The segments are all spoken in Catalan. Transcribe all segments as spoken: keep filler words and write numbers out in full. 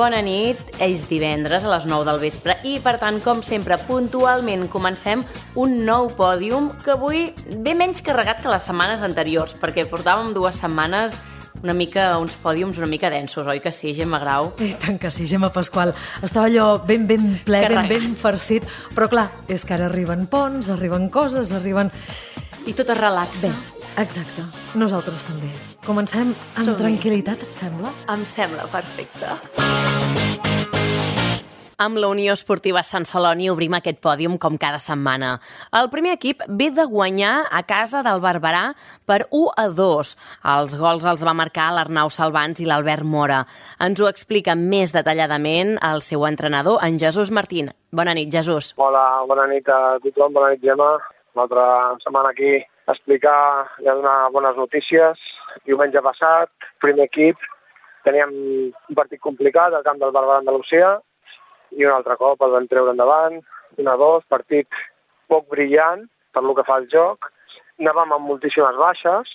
bona nit. És divendres a les nou del vespre i, per tant, com sempre, puntualment comencem un nou pòdium que avui ve menys carregat que les setmanes anteriors, perquè portàvem dues setmanes una mica, uns pòdiums una mica densos, oi que sí, Gemma Grau? I tant que sí, Gemma Pasqual. Estava allò ben, ben ple, ben, ben farcit, però clar, és que ara arriben ponts, arriben coses, arriben... I tot es relaxa. Bé, exacte. Nosaltres també. Comencem amb Som-hi. tranquil·litat, et sembla? Em sembla perfecte. Amb la Unió Esportiva Sant Celoni obrim aquest pòdium com cada setmana. El primer equip ve de guanyar a casa del Barberà per u a dos. Els gols els va marcar l'Arnau Salvans i l'Albert Mora. Ens ho explica més detalladament el seu entrenador, en Jesús Martín. Bona nit, Jesús. Hola, bona nit a tothom, bona nit, Gemma. L'altra setmana aquí a explicar i a donar bones notícies. Diumenge passat, primer equip, teníem un partit complicat al camp del Barberà Andalusia i un altre cop el vam treure endavant, un a dos, partit poc brillant per lo que fa el joc. Anàvem amb moltíssimes baixes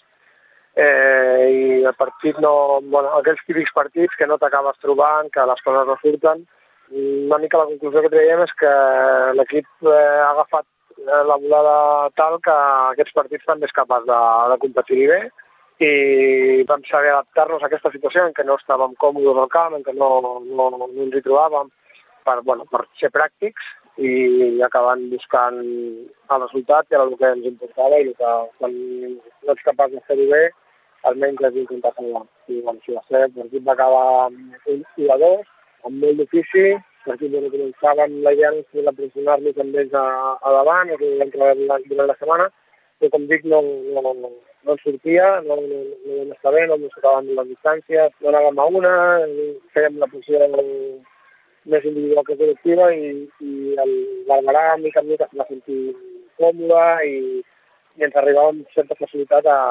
eh, i el partit no... Bueno, aquells típics partits que no t'acabes trobant, que les coses no surten. Una mica la conclusió que traiem és que l'equip eh, ha agafat la volada tal que aquests partits també és capaç de, de competir bé i vam saber adaptar-nos a aquesta situació en què no estàvem còmodes al camp, en què no, no, no ens hi trobàvem per, bueno, per ser pràctics i acabant buscant el resultat i el que ens importava i el que quan no ets capaç de fer-ho bé almenys has d'intentar salvar. I bueno, si va ser, el partit va acabar amb un u a dos, amb molt d'ofici. Perquè bueno, començàvem la idea de la pressionar-los amb ells a, a davant, és vam treballar durant la setmana, però com dic, no, no, no, no ens sortia, no, no, no vam estar bé, no ens acabàvem les distàncies, no anàvem a una, fèiem la posició més individual que col·lectiva i, i el Barberà, mica en mica, se va sentir còmode i, i ens arribava amb certa facilitat a,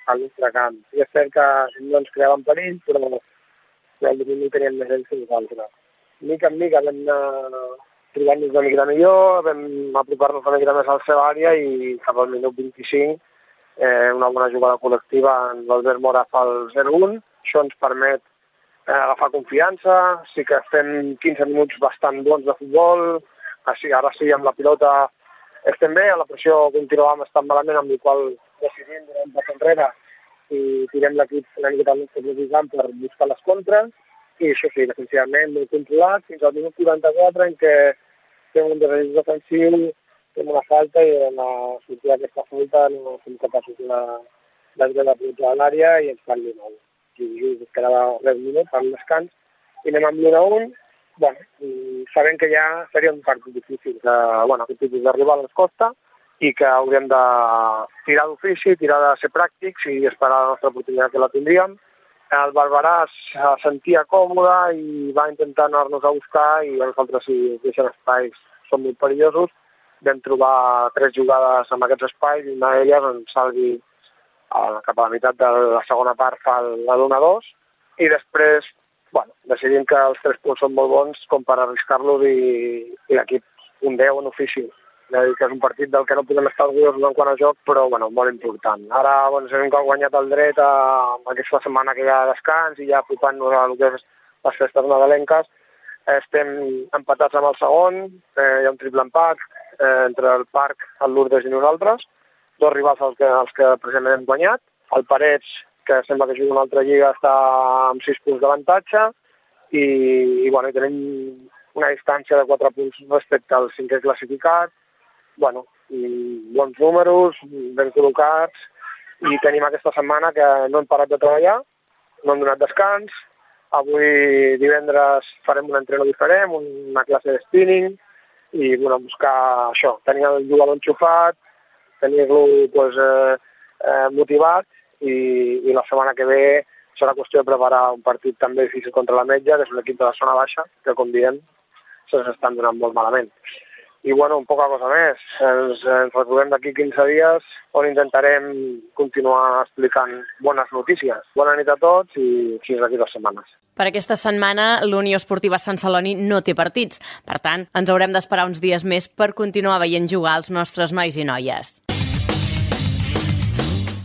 al nostre camp. I és cert que no ens creàvem perill, però el domini teníem més ells que nosaltres. Mica en mica vam anar trobant-nos una mica millor, vam apropar-nos una mica més a la seva àrea i cap al minut vint-i-cinc eh, una bona jugada col·lectiva, l'Albert Mora fa el zero un, això ens permet eh, agafar confiança, sí que estem quinze minuts bastant bons de futbol, així, ara sí amb la pilota estem bé, a la pressió continuàvem estant malament, amb la qual decidim donar un pas enrere i tirem l'equip una mica al nostre propi camp per buscar les contres. I això sí, defensivament molt controlat, fins al minut quaranta-quatre en què fem un desajust defensiu, fem una falta i en la sortida d'aquesta falta no som capaços de, de treure la pilota a l'àrea i ens fan l'u a u. I just es quedava res minut per descans i anem amb l'u a un. Bueno, sabem que ja seria un partit difícil, que bueno, aquest tipus d'arribar a les costa i que hauríem de tirar d'ofici, tirar de ser pràctics i esperar la nostra oportunitat que la tindríem. El Barberà es sentia còmode i va intentar anar-nos a buscar i els altres, si deixen espais, són molt perillosos. Vam trobar tres jugades amb aquests espais i una d'elles ens salvi cap a la meitat de la segona part fa la d'un a dos i després bueno, decidim que els tres punts són molt bons com per arriscar-los i, i l'equip un deu en ofici. Que és un partit del que no podem estar orgullosos en quant a joc, però bueno, molt important. Ara bueno, hem guanyat el dret a aquesta setmana que hi ha descans i ja apropant-nos a que és les festes nadalenques. Estem empatats amb el segon, eh, hi ha un triple empat eh, entre el Parc, el Lourdes i nosaltres, dos rivals als que, als que precisament hem guanyat. El Parets, que sembla que juga una altra lliga, està amb sis punts d'avantatge i, i, bueno, i tenim una distància de quatre punts respecte al cinquè classificat. Bueno, bons números, ben col·locats i tenim aquesta setmana que no hem parat de treballar, no hem donat descans. Avui divendres farem un entreno diferent, una classe de spinning i bueno, buscar això, tenir el jugador enxufat, tenir-lo pues, eh, eh, motivat i, i la setmana que ve serà qüestió de preparar un partit també difícil contra la Metja, que és un equip de la zona baixa, que com diem se'ns estan donant molt malament. I bueno, un poca cosa més. Ens, ens retrobem d'aquí quinze dies on intentarem continuar explicant bones notícies. Bona nit a tots i fins d'aquí dues setmanes. Per aquesta setmana, l'Unió Esportiva Sant Celoni no té partits. Per tant, ens haurem d'esperar uns dies més per continuar veient jugar els nostres nois i noies.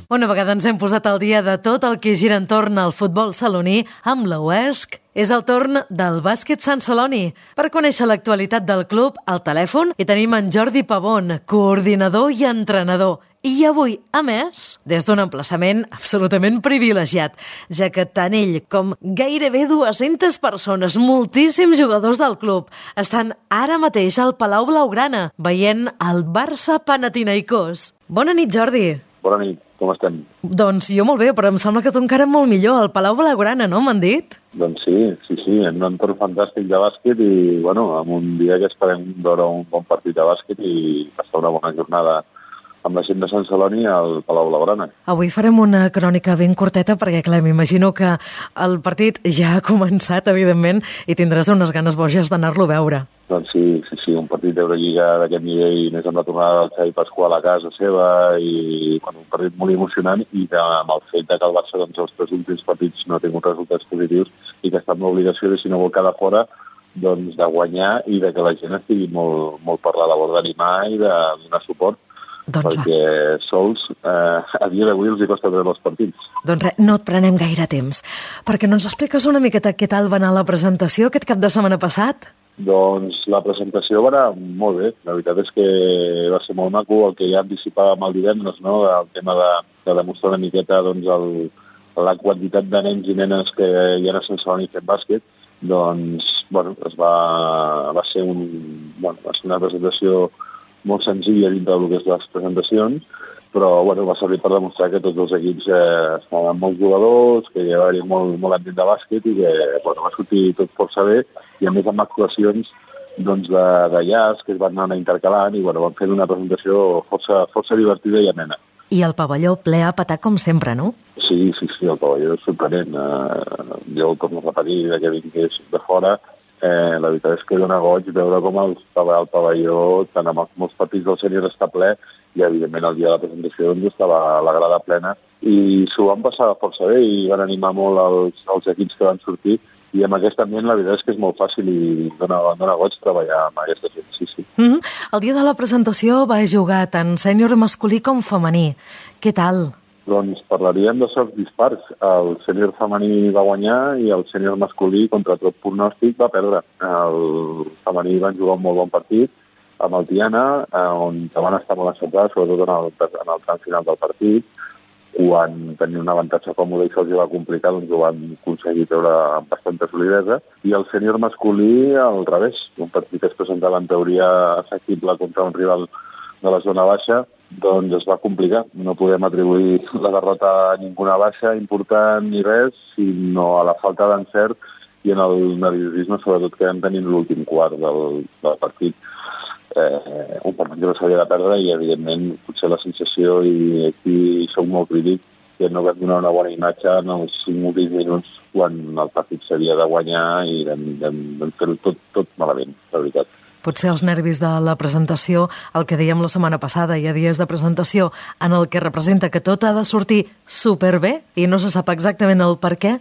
Una vegada ens hem posat al dia de tot el que gira entorn al futbol saloní amb la U E S C, és el torn del bàsquet Sant Celoni. Per conèixer l'actualitat del club, al telèfon hi tenim en Jordi Pavón, coordinador i entrenador. I avui, a més, des d'un emplaçament absolutament privilegiat, ja que tant ell com gairebé dues-centes persones, moltíssims jugadors del club, estan ara mateix al Palau Blaugrana, veient el Barça Panathinaikos. Bona nit, Jordi. Bona nit, com estem? Doncs jo molt bé, però em sembla que tu encara molt millor, al Palau Blaugrana, no? M'han dit? Doncs sí, sí, sí, en un entorn fantàstic de bàsquet i, bueno, amb un dia que esperem veure un bon partit de bàsquet i passar una bona jornada amb la gent de Sant Celoni al Palau Blaugrana. Avui farem una crònica ben curteta perquè, clar, m'imagino que el partit ja ha començat, evidentment, i tindràs unes ganes boges d'anar-lo a veure. Doncs sí, sí, sí, un partit d'Eurolliga d'aquest nivell, més amb la tornada del Xavi Pasqual a casa seva i, bueno, un partit molt emocionant i que, amb el fet de que el Barça, doncs, els tres últims partits no ha tingut resultats positius i que està amb l'obligació de, si no vol quedar fora, doncs, de guanyar i de que la gent estigui molt, molt per la labor d'animar i de donar suport. Doncs perquè va. sols eh, a dia d'avui els hi costa treure els partits. Doncs res, no et prenem gaire temps. Perquè no ens expliques una miqueta què tal va anar la presentació aquest cap de setmana passat? Doncs la presentació va anar molt bé. La veritat és que va ser molt maco el que ja anticipàvem el divendres, no? El tema de, de demostrar una miqueta doncs, el, la quantitat de nens i nenes que hi ha a Sant Celoni fent bàsquet. Doncs, bueno, es va, va ser un, bueno, va ser una presentació molt senzilla dintre del que és les presentacions, però bueno, va servir per demostrar que tots els equips eh, estaven molts jugadors, que hi havia molt, molt ambient de bàsquet i que bueno, va sortir tot força bé, i a més amb actuacions doncs, de, de jazz que es van anar intercalant i bueno, van fer una presentació força, força divertida i amena. I el pavelló ple a petar com sempre, no? Sí, sí, sí, el pavelló és sorprenent. Eh, jo ho torno a repetir, que vingués de fora. Eh, la veritat és que dona goig veure com el, el pavelló, tant amb els molts partits del sènior està ple, i evidentment el dia de la presentació doncs, estava la grada plena, i s'ho van passar força bé i van animar molt els, els equips que van sortir, i amb aquest ambient la veritat és que és molt fàcil i dona, dona goig treballar amb aquesta gent, sí, sí. Mm-hmm. El dia de la presentació va jugar tant sènior masculí com femení. Què tal? Doncs parlaríem de sorts dispars. El sènior femení va guanyar i el sènior masculí, contra tot pronòstic, va perdre. El femení van jugar un molt bon partit amb el Tiana, on van estar molt encertats, sobretot en el, en el tram final del partit, quan tenien un avantatge còmode i se'ls va complicar, doncs ho van aconseguir treure amb bastanta solidesa. I el sènior masculí, al revés, un partit que es presentava en teoria assequible contra un rival de la zona baixa, doncs es va complicar. No podem atribuir la derrota a ninguna baixa important ni res, sinó a la falta d'encert i en el nerviosisme, sobretot que vam tenir l'últim quart del, del partit. Eh, un partit que no s'havia de perdre i, evidentment, potser la sensació, i aquí soc molt crític, que no vam donar una bona imatge en els cinc últims minuts quan el partit s'havia de guanyar i vam, vam, vam fer-ho tot, tot malament, la veritat. Potser els nervis de la presentació, el que dèiem la setmana passada, hi ha dies de presentació en el que representa que tot ha de sortir superbé i no se sap exactament el per què.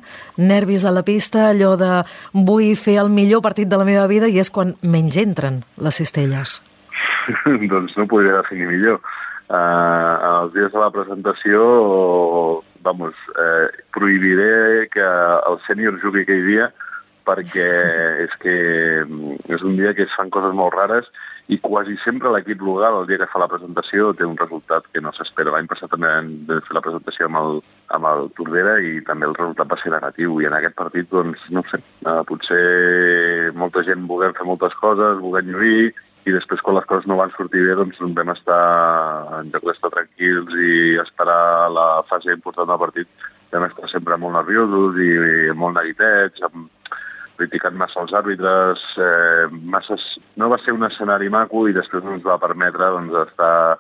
Nervis a la pista, allò de vull fer el millor partit de la meva vida, i és quan menys entren les cistelles. Doncs no podria definir millor. Uh, els dies de la presentació, vamos, eh, prohibiré que el sènior jugui aquell dia, perquè és que és un dia que es fan coses molt rares i quasi sempre l'equip local, el dia que fa la presentació, té un resultat que no s'espera. L'any passat també vam fer la presentació amb el, amb el Tordera i també el resultat va ser negatiu. I en aquest partit, doncs, no sé, eh, potser molta gent volem fer moltes coses, volem lluir, i després, quan les coses no van sortir bé, doncs vam estar, en lloc d'estar tranquils i esperar la fase important del partit, vam estar sempre molt nerviosos i, i molt neguitets, amb criticant massa els àrbitres, eh, masses... no va ser un escenari maco i després no ens va permetre doncs, estar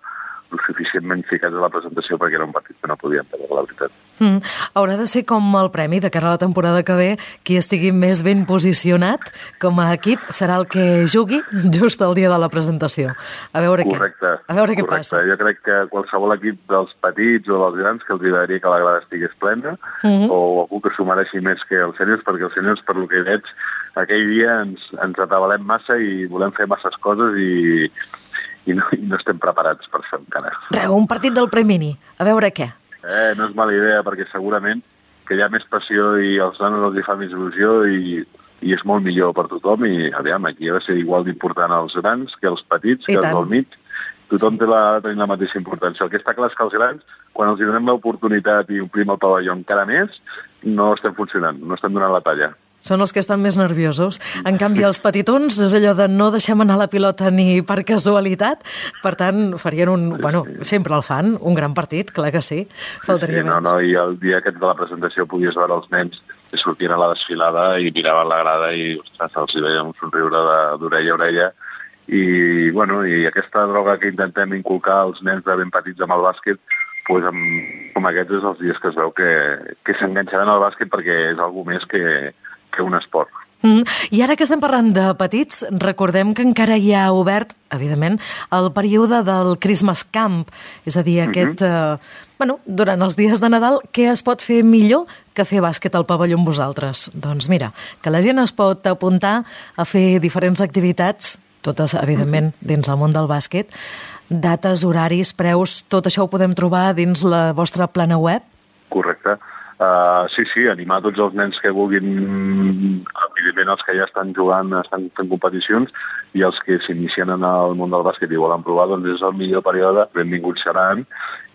lo suficientment ficats a la presentació perquè era un partit que no podíem perdre, la veritat. Mm. Haurà de ser com el premi de cara a la temporada que ve, qui estigui més ben posicionat com a equip serà el que jugui just el dia de la presentació. A veure correcte, què, a veure què correcte. passa. Jo crec que qualsevol equip dels petits o dels grans que els agradaria que la grada estigués plena, mm-hmm. o algú que s'ho mereixi més que els sèniors, perquè els sèniors, per lo que veig, aquell dia ens, ens atabalem massa i volem fer masses coses i i no, i no estem preparats per això encara. Reu, un partit del Premini, a veure què. Eh, no és mala idea, perquè segurament que hi ha més passió i als nanos els hi fa més il·lusió i, i és molt millor per tothom i, aviam, aquí ha de ser igual d'important als grans que els petits, que els del mig. Tothom té la, tenir la mateixa importància. El que està clar és que els grans, quan els donem l'oportunitat i omplim el pavelló encara més, no estem funcionant, no estem donant la talla. Són els que estan més nerviosos. En canvi, els petitons és allò de no deixem anar la pilota ni per casualitat. Per tant, farien un... Sí, bueno, sí. Sempre el fan, un gran partit, clar que sí. Faltaria sí, sí, no, no, i el dia aquest de la presentació podies veure els nens que sortien a la desfilada i miraven la grada i, ostres, els hi veia un somriure d'orella a orella. I, bueno, i aquesta droga que intentem inculcar als nens de ben petits amb el bàsquet, pues amb, com aquests és els dies que es veu que, que s'enganxaran al bàsquet perquè és alguna més que, que un esport. Mm. I ara que estem parlant de petits, recordem que encara hi ha obert, evidentment, el període del Christmas Camp, és a dir, aquest, uh-huh. eh, bueno, durant els dies de Nadal, què es pot fer millor que fer bàsquet al pavelló amb vosaltres? Doncs mira, que la gent es pot apuntar a fer diferents activitats, totes, evidentment, dins el món del bàsquet. Dates, horaris, preus, tot això ho podem trobar dins la vostra plana web? Correcte. Uh, sí, sí, animar tots els nens que vulguin, evidentment els que ja estan jugant, estan fent competicions, i els que s'inicien en el món del bàsquet i volen provar, doncs és el millor període, benvinguts seran,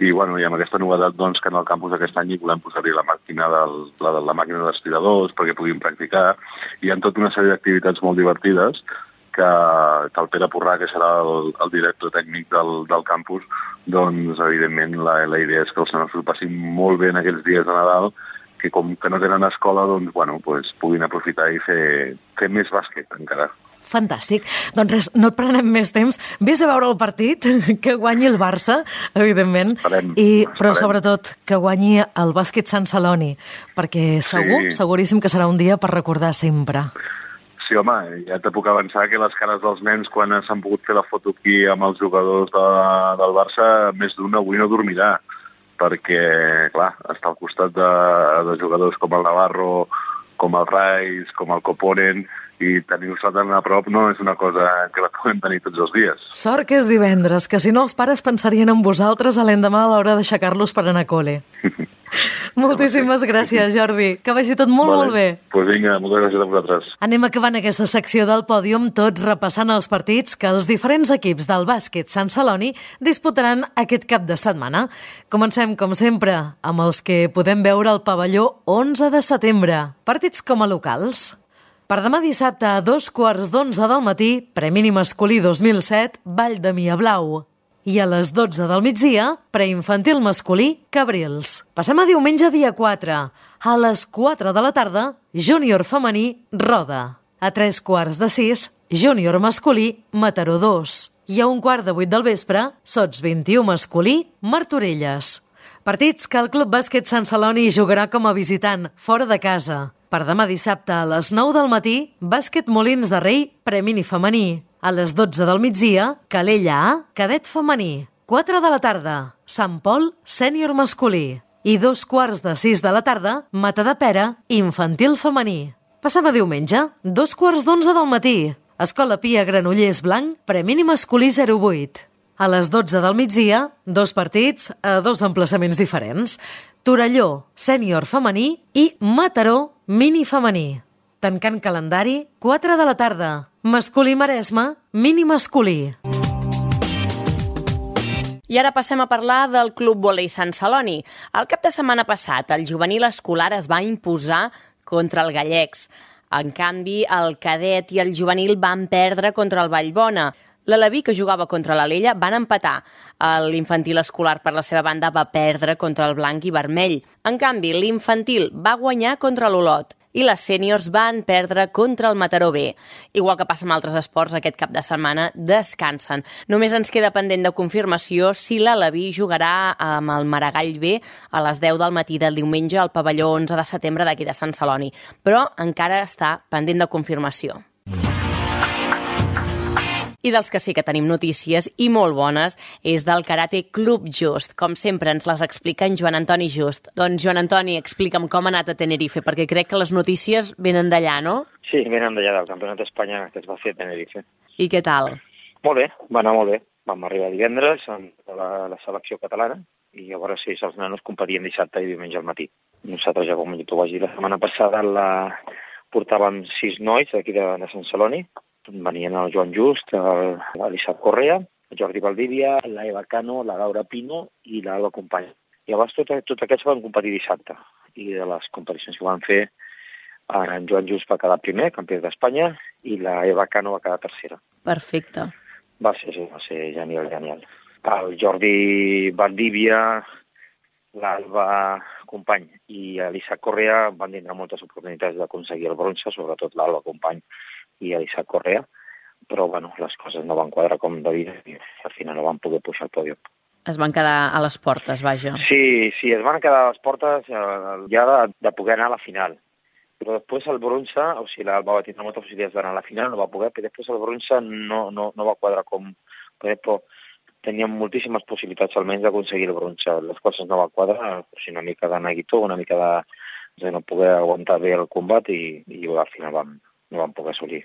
i, bueno, i amb aquesta novetat doncs, que en el campus aquest any hi volem posar-hi la màquina del, la, la màquina dels tiradors perquè puguin practicar. Hi ha tota una sèrie d'activitats molt divertides que, que el Pere Porrà, que serà el, el director tècnic del, del campus, doncs, evidentment, la, la idea és que els nanos ho passin molt bé en aquests dies de Nadal, que com que no tenen escola, doncs, bueno, pues, puguin aprofitar i fer, fer més bàsquet encara. Fantàstic. Doncs res, no et prenem més temps. Vés a veure el partit, que guanyi el Barça, evidentment, farem, i, però farem. Sobretot que guanyi el bàsquet Sant Celoni, perquè segur, sí. seguríssim que serà un dia per recordar sempre. Sí, home, ja te puc avançar que les cares dels nens quan s'han pogut fer la foto aquí amb els jugadors de, del Barça, més d'un avui no dormirà, perquè, clar, està al costat de, de jugadors com el Navarro, com el Reis, com el Coponen, i tenir-se tan a prop no és una cosa que la podem tenir tots els dies. Sort que és divendres, que si no els pares pensarien en vosaltres a l'endemà a l'hora d'aixecar-los per anar a col·le. Moltíssimes gràcies, Jordi. Que vagi tot molt, vale. molt bé. Doncs pues vinga, moltes gràcies a vosaltres. Anem acabant aquesta secció del pòdium, tot repassant els partits que els diferents equips del bàsquet Sant Celoni disputaran aquest cap de setmana. Comencem, com sempre, amb els que podem veure al pavelló onze de setembre. Partits com a locals. Per demà dissabte a dos quarts d'onze del matí, Premini Masculí dos mil set, Vall de Mia Blau. I a les dotze del migdia, preinfantil masculí, Cabrils. Passem a diumenge dia quatre. A les quatre de la tarda, júnior femení, Roda. A tres quarts de sis, júnior masculí, Mataró dos. I a un quart de vuit del vespre, Sots vint-i-u masculí, Martorelles. Partits que el Club Bàsquet Sant Celoni jugarà com a visitant, fora de casa. Per demà dissabte a les nou del matí, Bàsquet Molins de Rei, Premini femení. A les dotze del migdia, Calella A, cadet femení. quatre de la tarda, Sant Pol, sènior masculí. I dos quarts de sis de la tarda, Matadepera, infantil femení. Passem a diumenge, dos quarts d'onze del matí. Escola Pia Granollers Blanc, Premini masculí zero vuit. A les dotze del migdia, dos partits a dos emplaçaments diferents. Torelló, sènior femení i Mataró, mini femení. Tancant calendari, quatre de la tarda. Masculí Maresme, mini masculí. I ara passem a parlar del Club Vòlei Sant Celoni. El cap de setmana passat, el juvenil escolar es va imposar contra el Gallecs. En canvi, el cadet i el juvenil van perdre contra el Vallbona. L'Aleví, que jugava contra l'Alella, van empatar. L'infantil escolar, per la seva banda, va perdre contra el blanc i vermell. En canvi, l'infantil va guanyar contra l'Olot i les sèniors van perdre contra el Mataró B. Igual que passa amb altres esports, aquest cap de setmana descansen. Només ens queda pendent de confirmació si l'Aleví jugarà amb el Maragall B a les deu del matí del diumenge al pavelló onze de setembre d'aquí de Sant Celoni. Però encara està pendent de confirmació. I dels que sí que tenim notícies, i molt bones, és del Karate Club Just. Com sempre ens les explica en Joan Antoni Just. Doncs, Joan Antoni, explica'm com ha anat a Tenerife, perquè crec que les notícies venen d'allà, no? Sí, venen d'allà, del Campionat d'Espanya que es va fer a Tenerife. I què tal? Molt bé, va anar molt bé. Vam arribar divendres amb la, la selecció catalana i llavors sí, els nanos competien dissabte i diumenge al matí. Nosaltres, ja com t'ho vaig dir la setmana passada, la... portàvem sis nois d'aquí de, de Sant Celoni. Venien el Joan Just, l'Isaac Correa, el Jordi Valdivia, la Eva Cano, la Laura Pino i l'Alba Company. Llavors tots tot aquests van competir dissabte. I de les competicions que van fer, en Joan Just va quedar primer, campió d'Espanya, i la Eva Cano va quedar tercera. Perfecte. Va ser, sí, va ser genial, genial. El Jordi Valdivia, l'Alba Company i l'Isaac Correa van tindre moltes oportunitats d'aconseguir el bronze, sobretot l'Alba Company i l'Isaac Correa, però bueno, les coses no van quadrar com devia i al final no van poder pujar al pòdium. Es van quedar a les portes, vaja. Sí, sí, es van quedar a les portes eh, ja de, de poder anar a la final. Però després el bronze, o sigui, l'Alba va tindre moltes possibilitats d'anar a la final, no va poder, però després el bronze no, no, no va quadrar com... Però teníem moltíssimes possibilitats almenys d'aconseguir el bronze. Les coses no van quadrar, o sigui, una mica de neguitó, una mica de, de no poder aguantar bé el combat i, i al final vam, no vam poder assolir.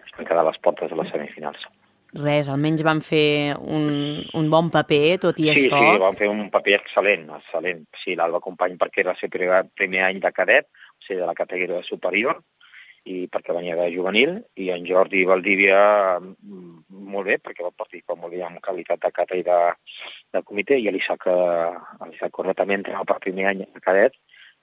Es van quedar a les portes de les semifinals. Res, almenys van fer un, un bon paper, tot i sí, això. Sí, sí, van fer un paper excel·lent, excel·lent. Sí, l'Alba Company perquè era el seu primer, primer any de cadet, o sigui, de la categoria superior, i perquè venia de juvenil, i en Jordi Valdivia molt bé, perquè va participar molt bé amb qualitat de cata i de, de comitè, i l'Isaac Correa també entrava per primer any de cadet,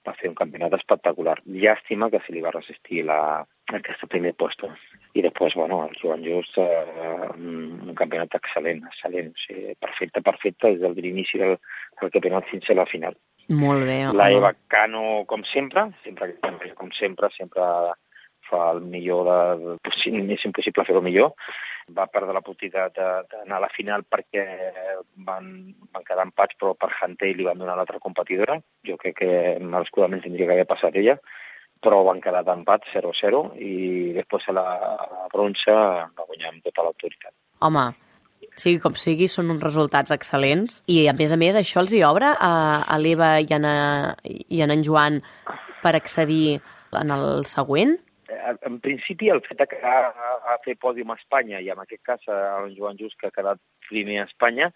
va fer un campionat espectacular. Llàstima que se li va resistir la, aquesta primer puesto. I després, bueno, el Joan Just, eh, un campionat excel·lent, excel·lent, o sigui, perfecte, perfecte, des del l'inici del, del campionat fins a la final. Molt bé. La Eva Cano, com sempre, sempre, com sempre, sempre fa el millor, de, és impossible fer-ho millor. Va perdre la possibilitat d'anar a la final perquè van, van quedar empats, però per Hunter li van donar l'altra competidora. Jo crec que merescudament tindria que haver passat ella, però van quedar d'empat zero a zero i després a la, a la bronze va guanyar amb tota l'autoritat. Home, sigui com sigui, són uns resultats excel·lents i, a més a més, això els hi obre a, a l'Eva i, a, i a en Joan per accedir en el següent? En principi, el fet de que ha, ha fet pòdium a Espanya, i en aquest cas el Joan Just, que ha quedat primer a Espanya,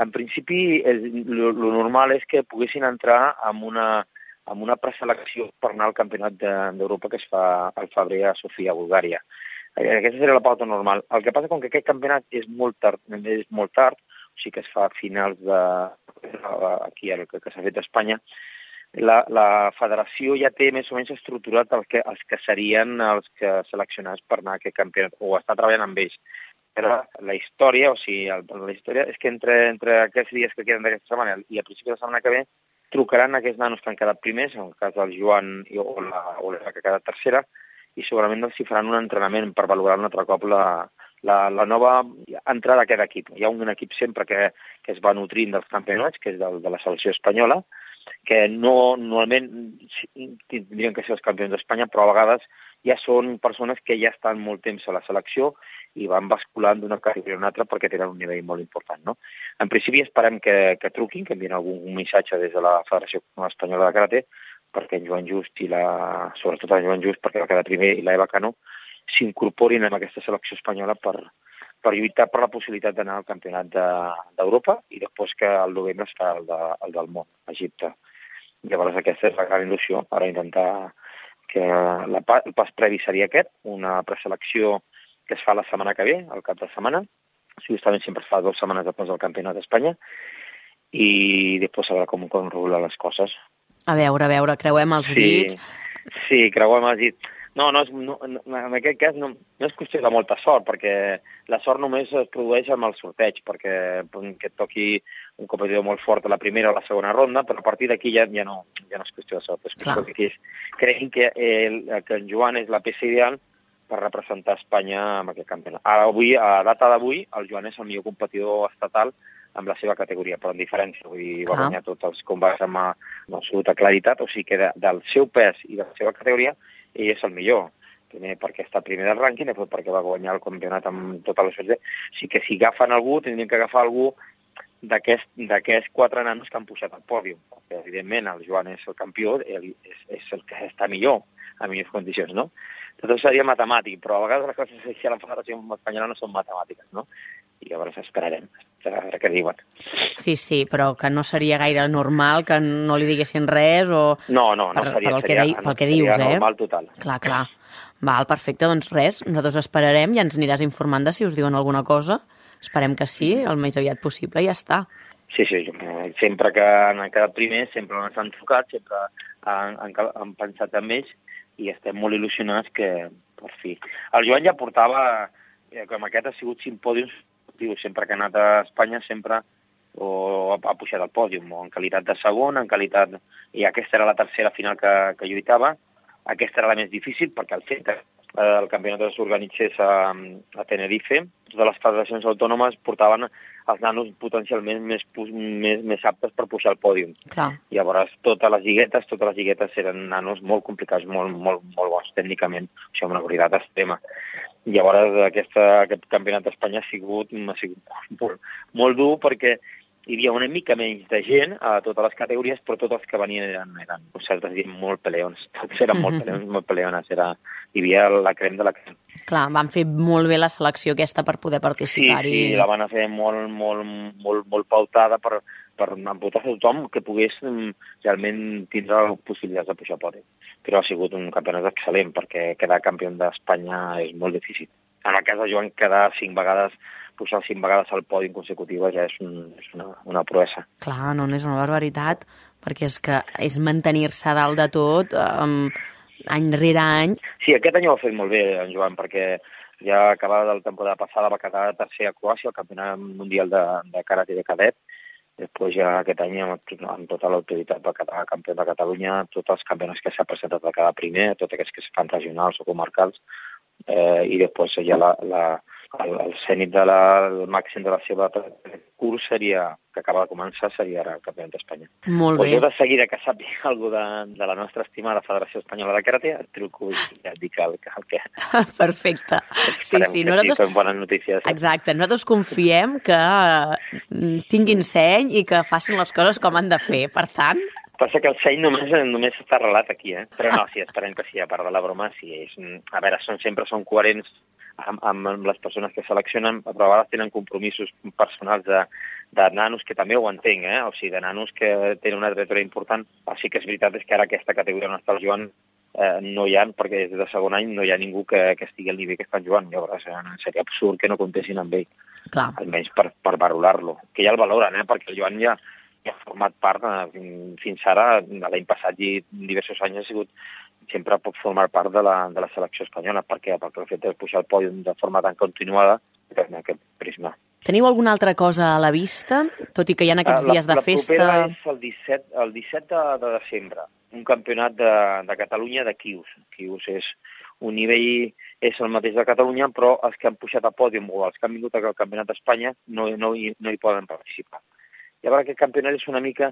en principi el normal és que poguessin entrar amb una, amb una preselecció per anar al Campionat d'Europa que es fa al febrer a Sofia, a Bulgària. Aquesta seria la pauta normal. El que passa com que aquest campionat és molt tard, és molt tard, o sigui que es fa a finals de... aquí, el que, que s'ha fet a Espanya, La, la federació ja té més o menys estructurat el que, els que serien els que seleccionats per anar a aquest campionat, o està treballant amb ells. Però la història, o sigui, el, la història és que entre, entre aquests dies que queden d'aquesta setmana i a principi de la setmana que ve trucaran aquests nanos que han quedat primers, en el cas del Joan o la, o la que ha quedat tercera, i segurament els hi faran un entrenament per valorar un altre cop la, la, la nova entrada a aquest equip. Hi ha un equip sempre que, que es va nutrint dels campionats, que és del, de la selecció espanyola, que no, normalment tindrien que ser els campions d'Espanya, però a vegades ja són persones que ja estan molt temps a la selecció i van basculant d'una categoria a una altra perquè tenen un nivell molt important, no? En principi esperem que, que truquin, que envien algun missatge des de la Federació Espanyola de Karate perquè en Joan Just i la... sobretot en Joan Just, perquè va quedar primer, i la Eva Cano, s'incorporin en aquesta selecció espanyola per, per lluitar per la possibilitat d'anar al campionat d'Europa de, i després que al novembre està el, de, el del món, Egipte. Llavors aquesta és la gran il·lusió, ara intentar que la, el pas previ seria aquest, una preselecció que es fa la setmana que ve, al cap de setmana, justament sempre es fa dues setmanes després del campionat d'Espanya, i després a veure com, com regular les coses. A veure, a veure, creuem els sí, dits. Sí, creuem els dits. No, no, és, no, en aquest cas no, no és qüestió de molta sort, perquè la sort només es produeix amb el sorteig, perquè que et toqui un competidor molt fort a la primera o la segona ronda, però a partir d'aquí ja, ja, no, ja no és qüestió de sort. És qüestió que és, creguin que, el, que en Joan és la peça ideal per representar Espanya en aquest campionat. Ara, avui, a data d'avui, el Joan és el millor competidor estatal amb la seva categoria, però en diferència. Vull dir, va guanyar tots els combats amb, amb absoluta claritat, o sigui que de, del seu pes i de la seva categoria ell és el millor. Primer perquè està primer del rànquing, després perquè va guanyar el campionat amb tota la suerte. O sigui que si agafen algú, tindrien que agafar algú d'aquests quatre nanos que han pujat al pòdium. Perquè, evidentment, el Joan és el campió, ell és, és el que està millor, a millors condicions, no? tot seria matemàtic, però a vegades les coses així a la Federació Espanyola no són matemàtiques, no? I llavors esperarem, a veure què diuen. Sí, sí, però que no seria gaire normal que no li diguessin res o... No, no, no per, seria, pel que, seria, de, no, pel que seria dius, eh? normal total. Clar, clar. Val, perfecte, doncs res, nosaltres esperarem i ens aniràs informant de si us diuen alguna cosa. Esperem que sí, el més aviat possible i ja està. Sí, sí, sempre que han quedat primers, sempre ens han trucat, sempre han, han, han pensat en ells i estem molt il·lusionats que, per fi... El Joan ja portava, com aquest ha sigut cinc pòdiums, sempre que ha anat a Espanya, sempre o ha pujat al pòdium, o en qualitat de segon, en qualitat... I aquesta era la tercera final que, que lluitava. Aquesta era la més difícil, perquè el fet que el campionat s'organitzés a, a Tenerife, totes les federacions autònomes portaven els nanos potencialment més, més, més aptes per pujar al pòdium. Clar. Llavors, totes les lliguetes, totes les lliguetes eren nanos molt complicats, molt, molt, molt bons tècnicament, això amb una qualitat extrema. Llavors, aquesta, aquest campionat d'Espanya ha sigut, ha sigut molt, molt dur perquè hi havia una mica menys de gent a totes les categories, però tots els que venien eren, eren nosaltres diem, molt peleons. Tots eren molt peleons, molt peleones. Era, hi havia la crem de la crem. Clar, van fer molt bé la selecció aquesta per poder participar-hi. Sí, sí, la van fer molt, molt, molt, molt pautada per, per emportar a tothom que pogués realment tindre possibilitats de pujar a podi. Però ha sigut un campionat excel·lent, perquè quedar campió d'Espanya és molt difícil. En el cas de Joan, quedar cinc vegades pujar cinc vegades al podi consecutiva ja és, un, és una, una proesa. Clar, no, no és una barbaritat, perquè és que és mantenir-se dalt de tot um, any rere any. Sí, aquest any ho ha fet molt bé, en Joan, perquè ja acabada de la temporada passada va quedar tercer a Croàcia, al Campionat Mundial de, de Karate de Cadet. Després ja aquest any, amb, amb tota l'autoritat, va quedar campió de Catalunya, tots els campionats que s'ha presentat va quedar primer, tots aquests que es fan regionals o comarcals, eh, i després ja la... la El, el cènit de la, el màxim de la seva curs seria, que acaba de començar, seria ara el campionat d'Espanya. Molt pues bé. Jo de seguida que sàpiga alguna de, de la nostra estimada Federació Espanyola de Karate, et truco i ja et dic el, el que... Perfecte. Sí, sí, que nosaltres... sí, són bones notícies. Exacte, nosaltres confiem que tinguin seny i que facin les coses com han de fer. Per tant... Passa que el seny només, només està arrelat aquí, eh? Però no, sí, esperem que sí, a part de la broma, sí. És, a veure, són, sempre són coherents amb, amb les persones que seleccionen, però a vegades tenen compromisos personals de, de nanos, que també ho entenc, eh? O sigui, de nanos que tenen una trajectòria important. Així que és veritat és que ara aquesta categoria on està el Joan eh, no hi ha, perquè des de segon any no hi ha ningú que, que estigui al nivell que està en Joan. Llavors eh, seria absurd que no comptessin amb ell. Clar. Almenys per, per valorar-lo. Que ja el valoren, eh? Perquè el Joan ja... ha format part, fins ara, l'any passat i diversos anys ha sigut, sempre pot formar part de la, de la selecció espanyola. Per què? Perquè el fet de pujar al pòdium de forma tan continuada en aquest prisma. Teniu alguna altra cosa a la vista, tot i que hi ha aquests la, dies de la festa? La propera és el disset, el disset de, de desembre, un campionat de, de Catalunya de Quius. Quius és un nivell, és el mateix de Catalunya, però els que han pujat a pòdium o els que han vingut al campionat d'Espanya no, no, hi, no hi poden participar. Llavors aquest campionat és una mica,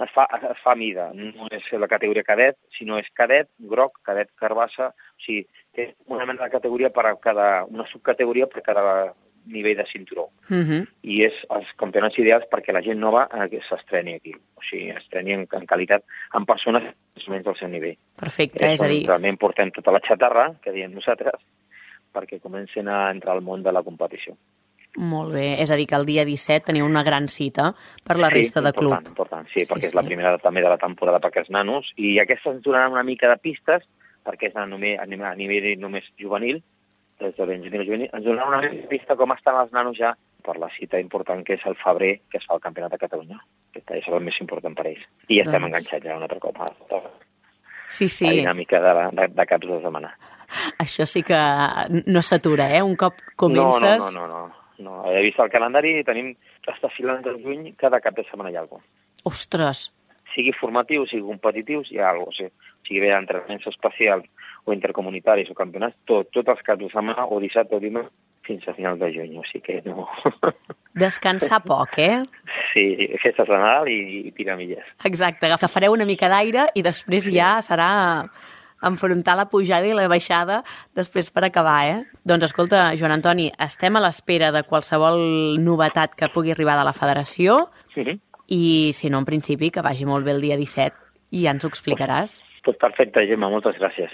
es fa, es fa a mida, no és la categoria cadet, sinó és cadet, groc, cadet, carbassa, o sigui, és una mena de categoria per a cada, una subcategoria per a cada nivell de cinturó. Uh -huh. I és els campionats ideals perquè la gent nova eh, s'estreni aquí, o sigui, estreni en, en qualitat, amb persones més o menys del seu nivell. Perfecte, és, és a dir... Realment portem tota la xatarra, que diem nosaltres, perquè comencen a entrar al món de la competició. Molt bé, és a dir que el dia disset teniu una gran cita per la sí, resta de important, club. Important, sí, sí, perquè sí. és la primera també de la temporada per aquests nanos, i aquestes ens donaran una mica de pistes, perquè és a nivell, a nivell només juvenil, des de ben juvenil, ens donaran una mica de pista com estan els nanos ja per la cita important que és el febrer, que es fa el Campionat de Catalunya. Aquesta és el més important per ells. I ja estem doncs... enganxats ja un altre cop a sí, sí. la dinàmica de, la, de, de caps de setmana. Això sí que no s'atura, eh? Un cop comences... No, no, no, no. no. No, he vist el calendari i tenim hasta finals de juny, cada cap de setmana hi ha alguna cosa. Ostres! Sigui formatiu, sigui competitius, hi ha alguna cosa. O sigui, bé, entrenaments especials o intercomunitaris o campionats, tot, tots els caps de setmana, o dissabte o dimarts, fins a finals de juny, o sigui que no... Descansar poc, eh? Sí, festes de Nadal i, i piramilles. Exacte, agafareu una mica d'aire i després sí. ja serà... enfrontar la pujada i la baixada després per acabar, eh? Doncs escolta, Joan Antoni, estem a l'espera de qualsevol novetat que pugui arribar de la federació sí. i, si no, en principi, que vagi molt bé el dia disset i ja ens ho explicaràs. Pues, pues perfecte, Gemma, moltes gràcies.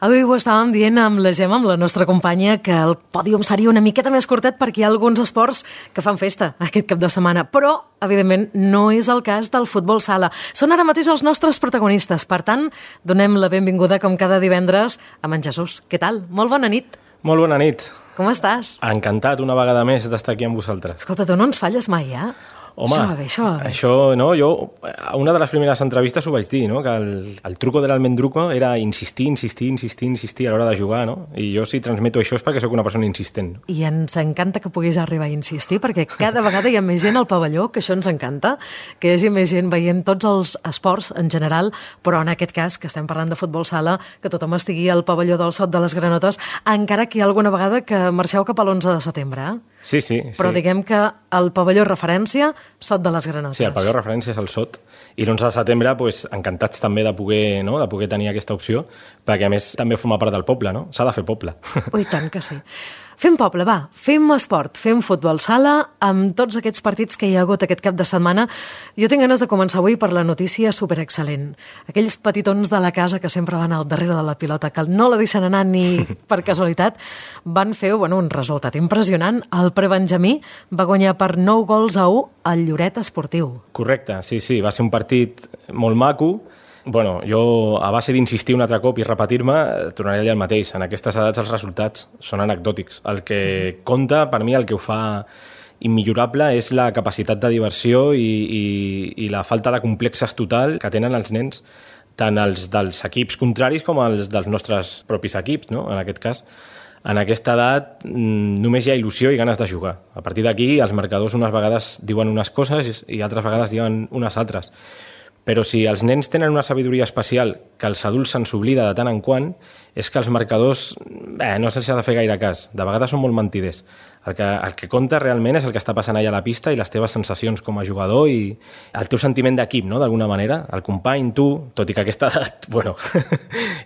Avui ho estàvem dient amb la Gemma, amb la nostra companya, que el pòdium seria una miqueta més curtet perquè hi ha alguns esports que fan festa aquest cap de setmana, però, evidentment, no és el cas del futbol sala. Són ara mateix els nostres protagonistes. Per tant, donem la benvinguda, com cada divendres, a en Jesús. Què tal? Molt bona nit. Molt bona nit. Com estàs? Encantat una vegada més d'estar aquí amb vosaltres. Escolta, tu no ens falles mai, eh? Home, això va bé, això va bé. Això, no, jo, a una de les primeres entrevistes ho vaig dir, no? Que el, el truco de l'almendruco era insistir, insistir, insistir, insistir a l'hora de jugar, no? I jo si transmeto això és perquè sóc una persona insistent. I ens encanta que puguis arribar a insistir, perquè cada vegada hi ha més gent al pavelló, que això ens encanta, que hi hagi més gent veient tots els esports en general, però en aquest cas, que estem parlant de futbol sala, que tothom estigui al pavelló del Sot de les Granotes, encara que hi ha alguna vegada que marxeu cap a l'onze de setembre, eh? Sí, sí. Però sí. diguem que el pavelló referència, Sot de les Granotes. Sí, el pavelló referència és el Sot. I l'onze de setembre, pues, encantats també de poder, no? de poder tenir aquesta opció, perquè a més també forma part del poble, no? S'ha de fer poble. Ui, tant que sí. Fem poble, va, fem esport, fem futbol sala, amb tots aquests partits que hi ha hagut aquest cap de setmana. Jo tinc ganes de començar avui per la notícia superexcel·lent. Aquells petitons de la casa que sempre van al darrere de la pilota, que no la deixen anar ni per casualitat, van fer bueno, un resultat impressionant. El prebenjamí va guanyar per nou gols a u al Lloret Esportiu. Correcte, sí, sí, va ser un partit molt maco. Bueno, jo, a base d'insistir un altre cop i repetir-me, tornaré allà el mateix. En aquestes edats els resultats són anecdòtics. El que compta, per mi, el que ho fa immillorable és la capacitat de diversió i, i, i la falta de complexes total que tenen els nens, tant els dels equips contraris com els dels nostres propis equips, no? En aquest cas. En aquesta edat només hi ha il·lusió i ganes de jugar. A partir d'aquí, els marcadors unes vegades diuen unes coses i altres vegades diuen unes altres. Però si els nens tenen una sabidoria especial que els adults se'ns oblida de tant en quant, és que els marcadors eh, no se'ls ha de fer gaire cas. De vegades són molt mentiders. El que, el que compta realment és el que està passant allà a la pista i les teves sensacions com a jugador i el teu sentiment d'equip, no?, d'alguna manera. El company, tu, tot i que aquesta edat, bueno,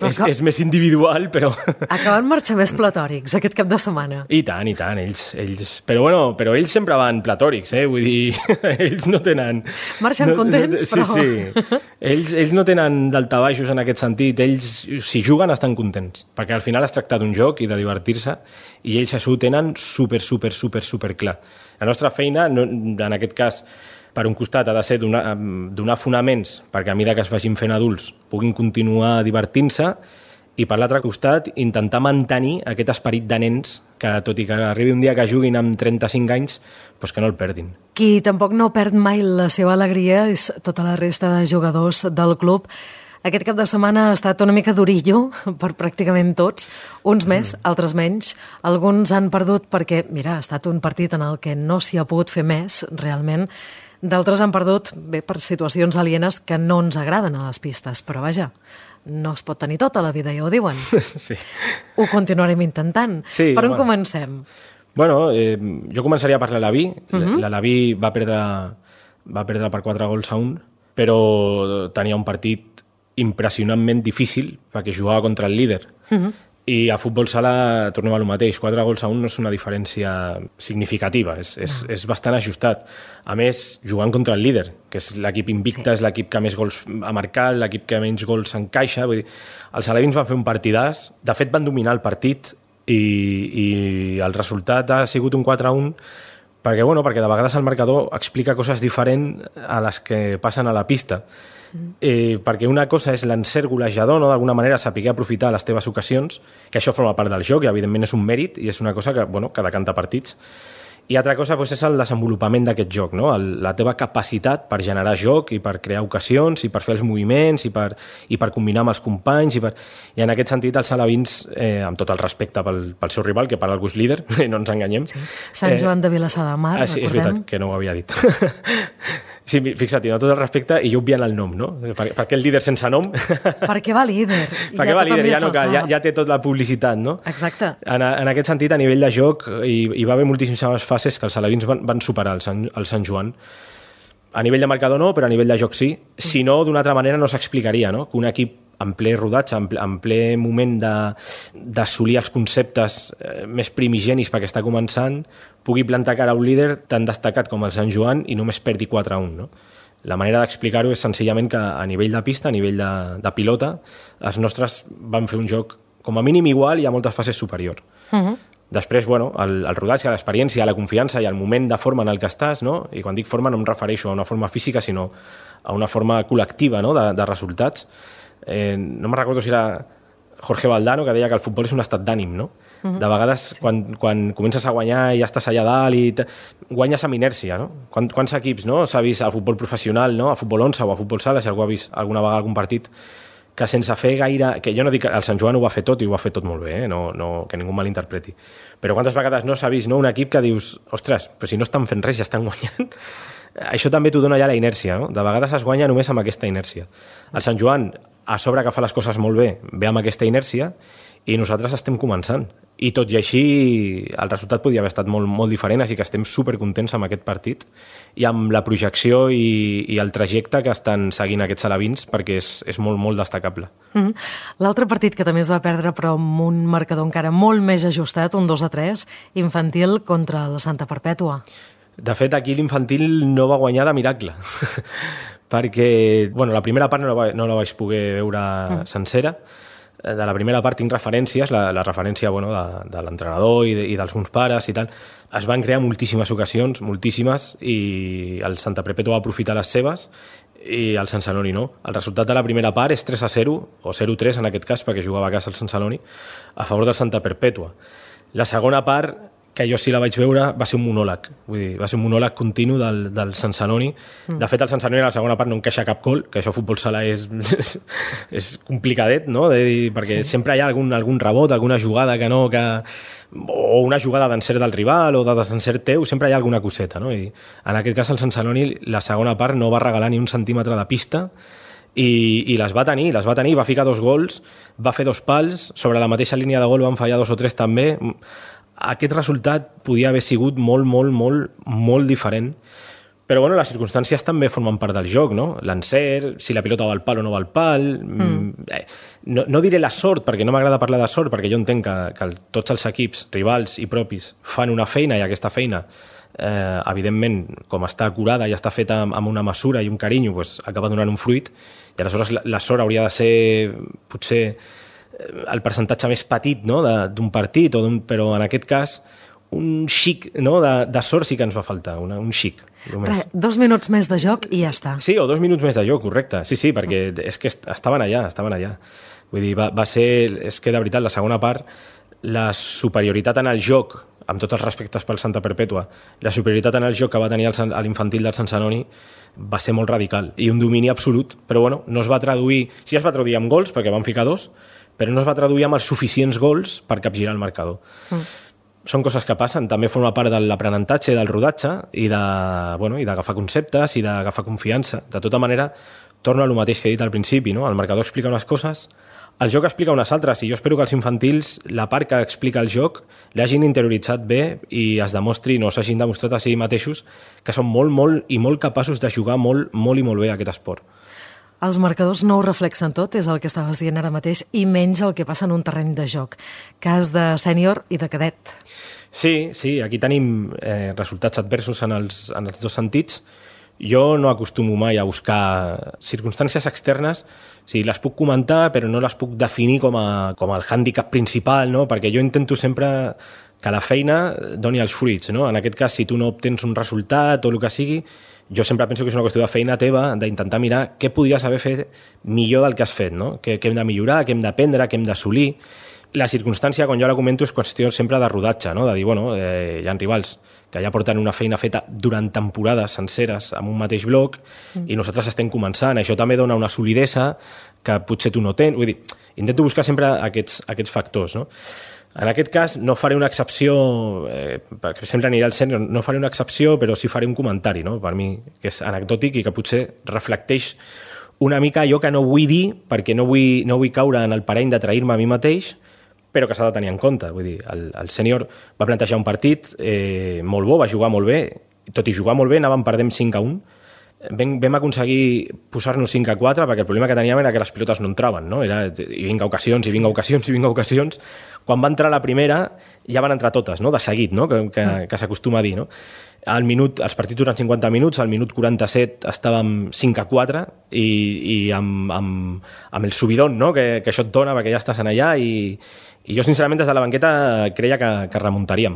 és, és més individual, però... Acaben marxar més platòrics aquest cap de setmana. I tant, i tant, ells... ells... Però, bueno, però ells sempre van platòrics, eh? Vull dir, ells no tenen... Marxen no, contents, no, però... Sí, sí. Ells, ells no tenen daltabaixos en aquest sentit. Ells, si juguen, estan contents, perquè al final es tracta d'un joc i de divertir-se, i ells això ho tenen super, super, super, super clar. La nostra feina, no, en aquest cas, per un costat ha de ser donar, donar fonaments perquè a mesura que es vagin fent adults puguin continuar divertint-se i per l'altre costat intentar mantenir aquest esperit de nens que tot i que arribi un dia que juguin amb trenta-cinc anys, doncs que no el perdin. Qui tampoc no perd mai la seva alegria és tota la resta de jugadors del club. Aquest cap de setmana ha estat una mica durillo per pràcticament tots, uns més, mm. altres menys. Alguns han perdut perquè, mira, ha estat un partit en el que no s'hi ha pogut fer més, realment. D'altres han perdut, bé, per situacions alienes que no ens agraden a les pistes, però vaja, no es pot tenir tota la vida, ja ho diuen. Sí. Ho continuarem intentant. Sí, per on bueno. comencem? Bueno, eh, jo començaria per l'Alaví. Uh-huh. L'Alaví va perdre, va perdre per quatre gols a un, però tenia un partit impressionantment difícil perquè jugava contra el líder. Uh-huh. I a futbol sala tornem a lo mateix. quatre gols a un no és una diferència significativa, és, és, és bastant ajustat. A més, jugant contra el líder, que és l'equip invicte, sí. És l'equip que més gols ha marcat, l'equip que menys gols encaixa. Vull dir, els alevins van fer un partidàs. De fet, van dominar el partit i, i el resultat ha sigut un quatre a un perquè, bueno, perquè de vegades el marcador explica coses diferents a les que passen a la pista. Eh, perquè una cosa és l'encert golejador, no? D'alguna manera saber aprofitar les teves ocasions, que això forma part del joc i evidentment és un mèrit i és una cosa que, bueno, que decanta partits. I altra cosa doncs, és el desenvolupament d'aquest joc, no? el, la teva capacitat per generar joc i per crear ocasions i per fer els moviments i per, i per combinar amb els companys i, per... i en aquest sentit els alevins, eh, amb tot el respecte pel, pel seu rival, que per algú és líder, no ens enganyem. Sí. Sant Joan de Vilassar de Mar, ah, sí, recordem. És veritat, que no ho havia dit. Sí, fixa't, no, tot el respecte i jo obviant el nom, no? Per, per què el líder sense nom? Per què va líder? Per què ja va líder? Ja, no, que ja, ja té tot la publicitat, no? Exacte. En, en aquest sentit, a nivell de joc, hi, hi va haver moltíssimes fases que els alevins van, van superar el Sant, el Sant Joan. A nivell de marcador no, però a nivell de joc sí. Si no, d'una altra manera no s'explicaria, no? Que un equip en ple rodatge, en ple, en ple moment d'assolir els conceptes eh, més primigenis perquè està començant, pugui plantar cara a un líder tan destacat com el Sant Joan i només perdi quatre a un, no? La manera d'explicar-ho és senzillament que a nivell de pista, a nivell de, de pilota, els nostres van fer un joc com a mínim igual, hi ha moltes fases superior. Uh-huh. Després, bueno, el, el rodatge, l'experiència, la confiança i el moment de forma en el que estàs, no? I quan dic forma no em refereixo a una forma física, sinó a una forma col·lectiva, no? de, de resultats. Eh, no me'n recordo si era Jorge Valdano, que deia que el futbol és un estat d'ànim, no? Uh-huh. De vegades, sí. quan, quan comences a guanyar i ja estàs allà dalt i te... guanyes amb inèrcia, no? Quant, quants equips, no? S'ha vist a futbol professional, no? A futbol onze o a futbol sala, si algú ha vist alguna vegada algun partit, que sense fer gaire... Que jo no dic que el Sant Joan ho va fer tot i ho va fer tot molt bé, eh? No, no, que ningú malinterpreti. Però quantes vegades no s'ha vist, no? Un equip que dius, ostres, però si no estan fent res ja estan guanyant. Això també t'ho dona ja la inèrcia, no? De vegades es guanya només amb aquesta inèrcia. El Sant Joan, a sobre que fa les coses molt bé, ve amb aquesta inèrcia i nosaltres estem començant. I tot i així el resultat podia haver estat molt, molt diferent, així que estem supercontents amb aquest partit i amb la projecció i, i el trajecte que estan seguint aquests alevins, perquè és, és molt, molt destacable. Mm-hmm. L'altre partit que també es va perdre, però amb un marcador encara molt més ajustat, un dos a tres, infantil contra el Santa Perpètua. De fet, aquí l'infantil no va guanyar de miracle, perquè bueno, la primera part no la, va, no la vaig poder veure mm. sencera. De la primera part tinc referències, la, la referència bueno, de, de l'entrenador i, de, i d'alguns pares i tal. Es van crear moltíssimes ocasions, moltíssimes, i el Santa Perpètua va aprofitar les seves i el Sant Celoni no. El resultat de la primera part és tres a zero, o zero a tres en aquest cas, perquè jugava a casa el Sant Celoni, a favor del Santa Perpètua. La segona part, que jo sí la vaig veure, va ser un monòleg. Vull dir, va ser un monòleg continu del, del Sant Celoni. Mm. De fet, el Sant Celoni a la segona part no encaixa cap gol, que això a futbol sala és, és, és complicadet, no? De dir, perquè sí. Sempre hi ha algun, algun rebot, alguna jugada que no... Que, o una jugada d'encert del rival o de desencert teu, sempre hi ha alguna coseta, no? I en aquest cas el Sant Celoni la segona part no va regalar ni un centímetre de pista i, i les va tenir, les va tenir, va ficar dos gols, va fer dos pals, sobre la mateixa línia de gol van fallar dos o tres també. Aquest resultat podia haver sigut molt, molt, molt, molt diferent. Però bueno, les circumstàncies també formen part del joc, no? L'encert, si la pilota va al pal o no va al pal... Mm. No, no diré la sort, perquè no m'agrada parlar de sort, perquè jo entenc que, que tots els equips, rivals i propis, fan una feina i aquesta feina, eh, evidentment, com està acurada i està feta amb una mesura i un carinyo, pues, acaba donant un fruit, i aleshores la, la sort hauria de ser, potser, el percentatge més petit, no? d'un partit, o però en aquest cas un xic, no? de, de sort sí que ens va faltar, una, un xic. Re, dos minuts més de joc i ja està. Sí, o dos minuts més de joc, correcte. Sí, sí, perquè és que estaven allà, estaven allà. Vull dir, va, va ser, és que de veritat, la segona part, la superioritat en el joc, amb tots els respectes pel Santa Perpètua, la superioritat en el joc que va tenir el, l'infantil del Sant Celoni va ser molt radical i un domini absolut, però bueno, no es va traduir, sí es va traduir amb gols, perquè van ficar dos, però no es va traduir amb els suficients gols per capgirar el marcador. Mm. Són coses que passen, també forma part de l'aprenentatge, del rodatge i de, bueno, i d'agafar conceptes i d'agafar confiança. De tota manera, torno a lo mateix que he dit al principi, no? El marcador explica unes coses, el joc explica unes altres, i jo espero que els infantils, la part que explica el joc, l'hagin interioritzat bé i es demostri, no s'hagin demostrat a si mateixos que són molt, molt i molt capaços de jugar molt, molt i molt bé aquest esport. Els marcadors no ho reflexen tot, és el que estaves dient ara mateix, i menys el que passa en un terreny de joc. Cas de sènior i de cadet. Sí, sí, aquí tenim eh, resultats adversos en els, en els dos sentits. Jo no acostumo mai a buscar circumstàncies externes, sí, les puc comentar, però no les puc definir com, a, com el hàndicap principal, no? Perquè jo intento sempre que la feina doni els fruits, no? En aquest cas, si tu no obtens un resultat o el que sigui, jo sempre penso que és una qüestió de feina teva, d'intentar mirar què podries haver fet millor del que has fet, no? Què, què hem de millorar, què hem d'aprendre, què hem d'assolir. La circumstància, quan jo la comento, és qüestió sempre de rodatge, no? De dir, bueno, eh, hi ha rivals que ja porten una feina feta durant temporades senceres amb un mateix bloc mm. i nosaltres estem començant. Això també dona una solidesa que potser tu no tens. Vull dir, intento buscar sempre aquests, aquests factors, no? En aquest cas no faré una excepció, eh, perquè sempre aniré al sènior, no faré una excepció, però sí faré un comentari, no? Per mi, que és anecdòtic i que potser reflecteix una mica allò que no vull dir, perquè no vull, no vull caure en el parany de trair-me a mi mateix, però que s'ha de tenir en compte. Vull dir, el, el sènior va plantejar un partit eh, molt bo, va jugar molt bé, tot i jugar molt bé anàvem perdent cinc a un, vam, vam aconseguir posar-nos cinc a quatre perquè el problema que teníem era que les pilotes no entraven, no? Era, i vinga ocasions, i vinga ocasions, i vinga ocasions. Quan va entrar la primera, ja van entrar totes, no? De seguit, no? Que, que, que s'acostuma a dir, no? Al minut, els partits duren cinquanta minuts, al minut quaranta-set estàvem cinc a quatre i, i amb, amb, amb el subidón, no? que, que això et dona perquè ja estàs en allà i, i jo sincerament des de la banqueta creia que, que remuntaríem.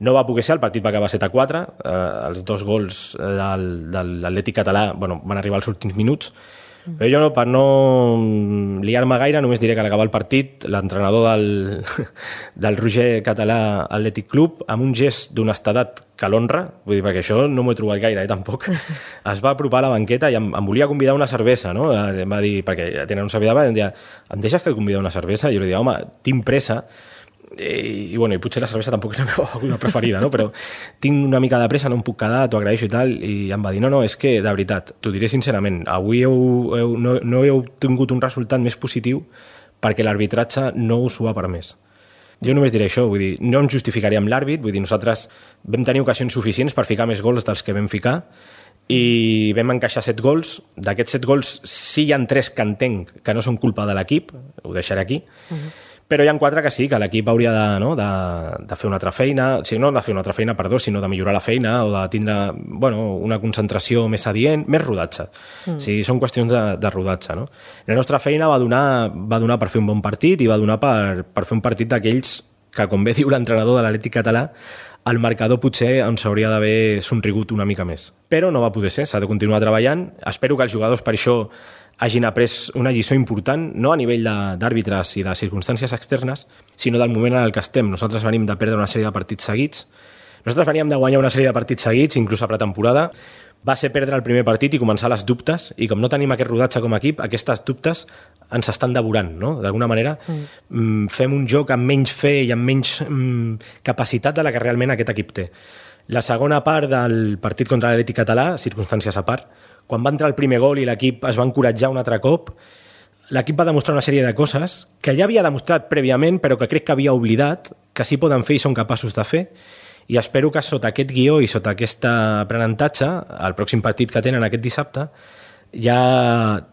No va poder ser, el partit va acabar set a quatre, eh, els dos gols del, de l'Atlètic català bueno, van arribar als últims minuts, però jo, per no liar-me gaire, només diré que a l'acabar el partit, l'entrenador del, del Roger Català Atlètic Club, amb un gest d'honestedat que l'honra, vull dir, perquè això no m'ho he trobat gaire, eh, tampoc, es va apropar a la banqueta i em, em volia convidar una cervesa, no? Em va dir, perquè tenen un servidor, em deia, em deixes que et convida una cervesa? I jo li deia, home, tinc pressa, i, i, bueno, i potser la cervesa tampoc és la meva beguda preferida, no? Però tinc una mica de pressa, no em puc quedar, t'ho agraeixo i tal, i em va dir, no, no, és que, de veritat, t'ho diré sincerament, avui heu, heu, no, no heu tingut un resultat més positiu perquè l'arbitratge no us ho ha permès. Jo només diré això, vull dir, no em justificaria amb l'àrbit, vull dir, nosaltres vam tenir ocasions suficients per ficar més gols dels que vam ficar i vam encaixar set gols. D'aquests set gols sí hi ha tres que entenc que no són culpa de l'equip, ho deixaré aquí, uh-huh. Però hi ha quatre que sí, que l'equip hauria de, no, de, de fer una altra feina, o sigui, no de fer una altra feina, perdó, sinó de millorar la feina o de tindre bueno, una concentració més adient, més rodatge. Mm. O sigui, són qüestions de, de rodatge. No? La nostra feina va donar, va donar per fer un bon partit i va donar per, per fer un partit d'aquells que, com bé diu l'entrenador de l'Atlètic Català, el marcador potser ens hauria d'haver somrigut una mica més. Però no va poder ser, s'ha de continuar treballant. Espero que els jugadors per això hagin après una lliçó important, no a nivell d'àrbitres i de circumstàncies externes, sinó del moment en el que estem. Nosaltres venim de perdre una sèrie de partits seguits. Nosaltres veníem de guanyar una sèrie de partits seguits, inclús a pretemporada. Va ser perdre el primer partit i començar les dubtes, i com no tenim aquest rodatge com a equip, aquestes dubtes ens estan devorant, no? D'alguna manera mm. fem un joc amb menys fe i amb menys mm, capacitat de la que realment aquest equip té. La segona part del partit contra l'Atlètic Català, circumstàncies a part, quan va entrar el primer gol i l'equip es va encoratjar un altre cop, l'equip va demostrar una sèrie de coses que ja havia demostrat prèviament, però que crec que havia oblidat, que sí poden fer i són capaços de fer, i espero que sota aquest guió i sota aquest aprenentatge, el pròxim partit que tenen aquest dissabte, ja,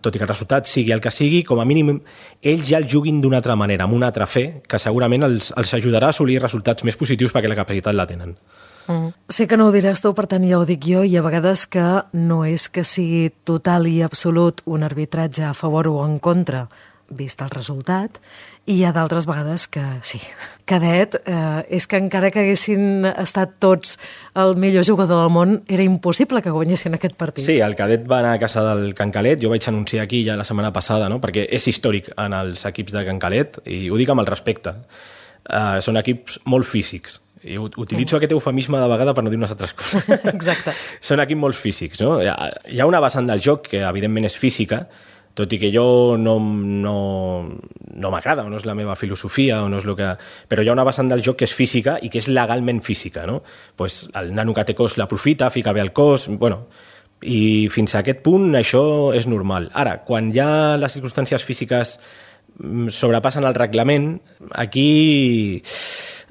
tot i que el resultat sigui el que sigui, com a mínim ells ja el juguin d'una altra manera, amb una altra fe, que segurament els, els ajudarà a assolir resultats més positius perquè la capacitat la tenen. Mm. Sé que no ho diràs tu, per tant ja ho dic jo, i a vegades que no és que sigui total i absolut un arbitratge a favor o en contra, vist el resultat, i hi ha d'altres vegades que sí. Cadet, eh, és que encara que haguessin estat tots el millor jugador del món, era impossible que guanyessin aquest partit. Sí, el Cadet va anar a casa del Can Calet, jo vaig anunciar aquí ja la setmana passada, no? Perquè és històric en els equips de Can Calet, i ho dic amb el respecte. Uh, són equips molt físics, i utilitzo aquest eufemisme de vegada per no dir unes altres coses. Exacte. Són equips molt físics, no? Hi ha una vessant del joc que evidentment és física, tot i que jo no, no, no m'agrada, o no és la meva filosofia, o no és el que... però hi ha una vessant del joc que és física i que és legalment física, no? Pues el nano que té cos l'aprofita, fica bé el cos, bueno, i fins a aquest punt això és normal. Ara, quan hi ha les circumstàncies físiques sobrepassen el reglament, aquí...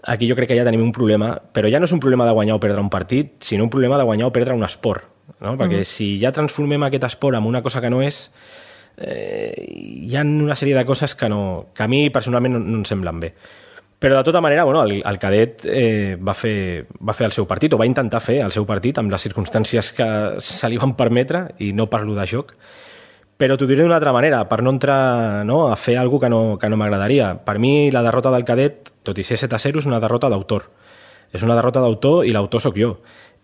Aquí jo crec que ja tenim un problema, però ja no és un problema de guanyar o perdre un partit, sinó un problema de guanyar o perdre un esport. No? Perquè mm. si ja transformem aquest esport en una cosa que no és, eh, hi ha una sèrie de coses que, no, que a mi personalment no, no em semblen bé. Però de tota manera, bueno, el, el Cadet eh, va, fer, va fer el seu partit, o va intentar fer el seu partit amb les circumstàncies que se li van permetre, i no parlo de joc, però t'ho diré d'una altra manera, per no entrar no, a fer alguna cosa que no, que no m'agradaria. Per mi, la derrota del Cadet, tot i ser set a zero, és una derrota d'autor. És una derrota d'autor i l'autor sóc jo.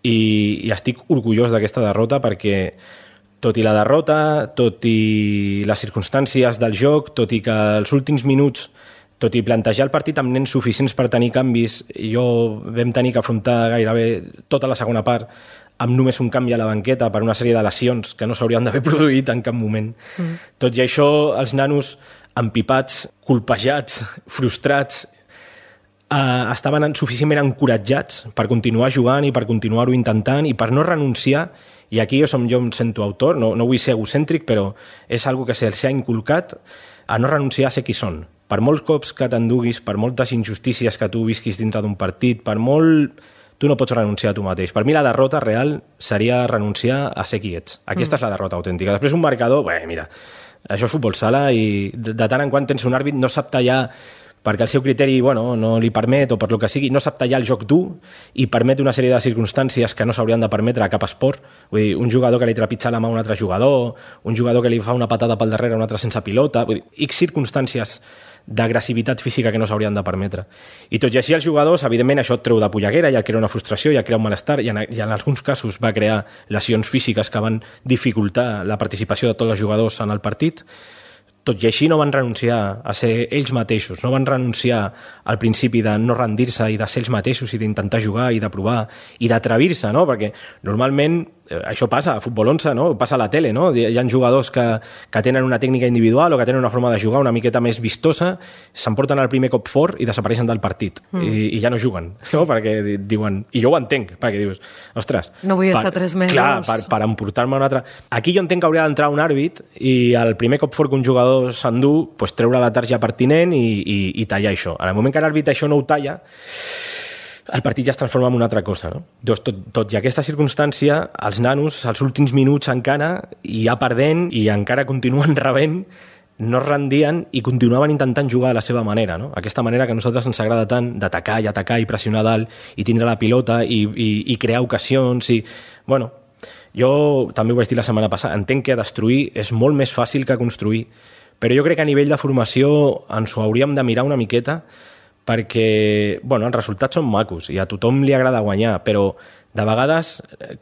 I, i estic orgullós d'aquesta derrota perquè, tot i la derrota, tot i les circumstàncies del joc, tot i que els últims minuts, tot i plantejar el partit amb nens suficients per tenir canvis, jo vam tenir que afrontar gairebé tota la segona part amb només un canvi a la banqueta per una sèrie de lesions que no s'haurien d'haver produït en cap moment. Mm. Tot i això, els nanos empipats, colpejats, frustrats, eh, estaven suficientment encoratjats per continuar jugant i per continuar-ho intentant i per no renunciar, i aquí jo, som, jo em sento autor, no, no vull ser egocèntric, però és algo que se'ls ha inculcat a no renunciar a ser qui són. Per molts cops que t'enduguis, per moltes injustícies que tu visquis dintre d'un partit, per molt tu no pots renunciar a tu mateix. Per mi la derrota real seria renunciar a ser qui ets. Aquesta mm. és la derrota autèntica. Després un marcador, bé, mira, això és futbol sala i de, de tant en quant tens un àrbit, no sap tallar perquè el seu criteri bueno, no li permet o per lo que sigui, no sap tallar el joc dur i permet una sèrie de circumstàncies que no s'haurien de permetre a cap esport. Vull dir, un jugador que li trepitja la mà a un altre jugador, un jugador que li fa una patada pel darrere a un altre sense pilota, vull dir, X circumstàncies d'agressivitat física que no s'haurien de permetre. I tot i així els jugadors, evidentment, això et treu de polleguera, ja crea una frustració, ja crea un malestar, i en, i en alguns casos va crear lesions físiques que van dificultar la participació de tots els jugadors en el partit. Tot i així no van renunciar a ser ells mateixos, no van renunciar al principi de no rendir-se i de ser ells mateixos i d'intentar jugar i de provar i d'atrevir-se, no? Perquè normalment eh, això passa a Futbol onze, no? Passa a la tele, no? Hi ha jugadors que, que tenen una tècnica individual o que tenen una forma de jugar una miqueta més vistosa, s'emporten el primer cop fort i desapareixen del partit mm. i, i ja no juguen, no? Perquè diuen, i jo ho entenc, perquè dius, ostres, no vull per, estar tres mesos. Clar, per, per emportar-me un altre... Aquí jo entenc que hauria d'entrar un àrbit i el primer cop fort que un jugador s'endú, pues, treure la tarja pertinent i, i, i tallar això. En el moment que l'àrbit això no ho talla, el partit ja es transforma en una altra cosa. No? Doncs tot, tot i aquesta circumstància, els nanos, als últims minuts encara, i ja perdent, i encara continuen rebent, no es rendien i continuaven intentant jugar a la seva manera. No? Aquesta manera que a nosaltres ens agrada tant d'atacar i atacar i pressionar dalt i tindre la pilota i, i, i crear ocasions. I, bueno, jo també ho vaig dir la setmana passada, entenc que destruir és molt més fàcil que construir, però jo crec que a nivell de formació ens ho hauríem de mirar una miqueta perquè, bueno, els resultats són macos i a tothom li agrada guanyar, però de vegades,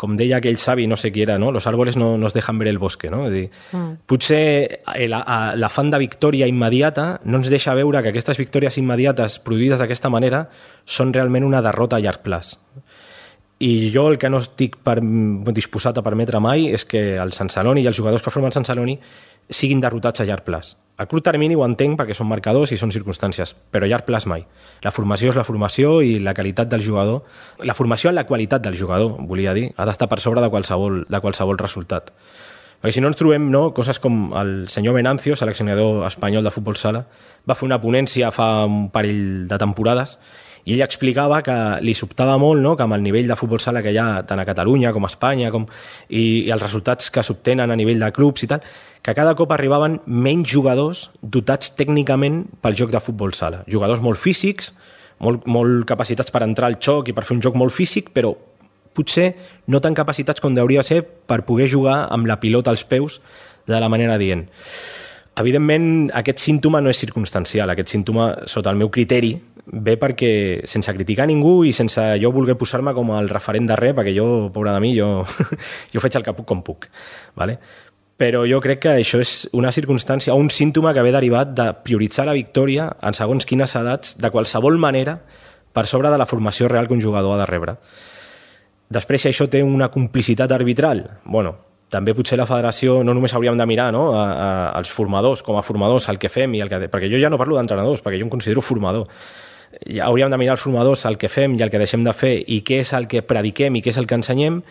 com deia aquell savi, no sé qui era, no? Los árboles no nos dejan ver el bosque, no? És dir, mm. potser l'afant de victòria immediata no ens deixa veure que aquestes victòries immediates produïdes d'aquesta manera són realment una derrota a llarg plaç. I jo el que no estic per, disposat a permetre mai és que el Sant Celoni i els jugadors que formen Sant Celoni siguin derrotats a llarg plaç. A curt termini ho entenc perquè són marcadors i són circumstàncies, però a llarg plaç mai. La formació és la formació i la qualitat del jugador, la formació en la qualitat del jugador, volia dir, ha d'estar per sobre de qualsevol, de qualsevol resultat. Perquè si no ens trobem no, coses com el senyor Venancio, seleccionador espanyol de futbol sala, va fer una ponència fa un parell de temporades i ell explicava que li sobtava molt, no?, que amb el nivell de futbol sala que hi ha tant a Catalunya com a Espanya com, i, i els resultats que s'obtenen a nivell de clubs i tal, que cada cop arribaven menys jugadors dotats tècnicament pel joc de futbol sala. Jugadors molt físics, molt, molt capacitats per entrar al xoc i per fer un joc molt físic, però potser no tan capacitats com hauria de ser per poder jugar amb la pilota als peus de la manera dient. Evidentment, aquest símptoma no és circumstancial. Aquest símptoma, sota el meu criteri, ve perquè, sense criticar ningú i sense jo voler posar-me com el referent de res, perquè jo, pobra de mi, jo, jo faig el que puc com puc. ¿Vale? Però jo crec que això és una circumstància o un símptoma que ve derivat de prioritzar la victòria en segons quines edats, de qualsevol manera, per sobre de la formació real que un jugador ha de rebre. Després, si això té una complicitat arbitral, bueno, també potser la federació no només hauríem de mirar, no?, a, a, als formadors, com a formadors, el que fem i el que... Perquè jo ja no parlo d'entrenadors, perquè jo em considero formador. Ja hauríem de mirar als formadors el que fem i el que deixem de fer i què és el que prediquem i què és el que ensenyem,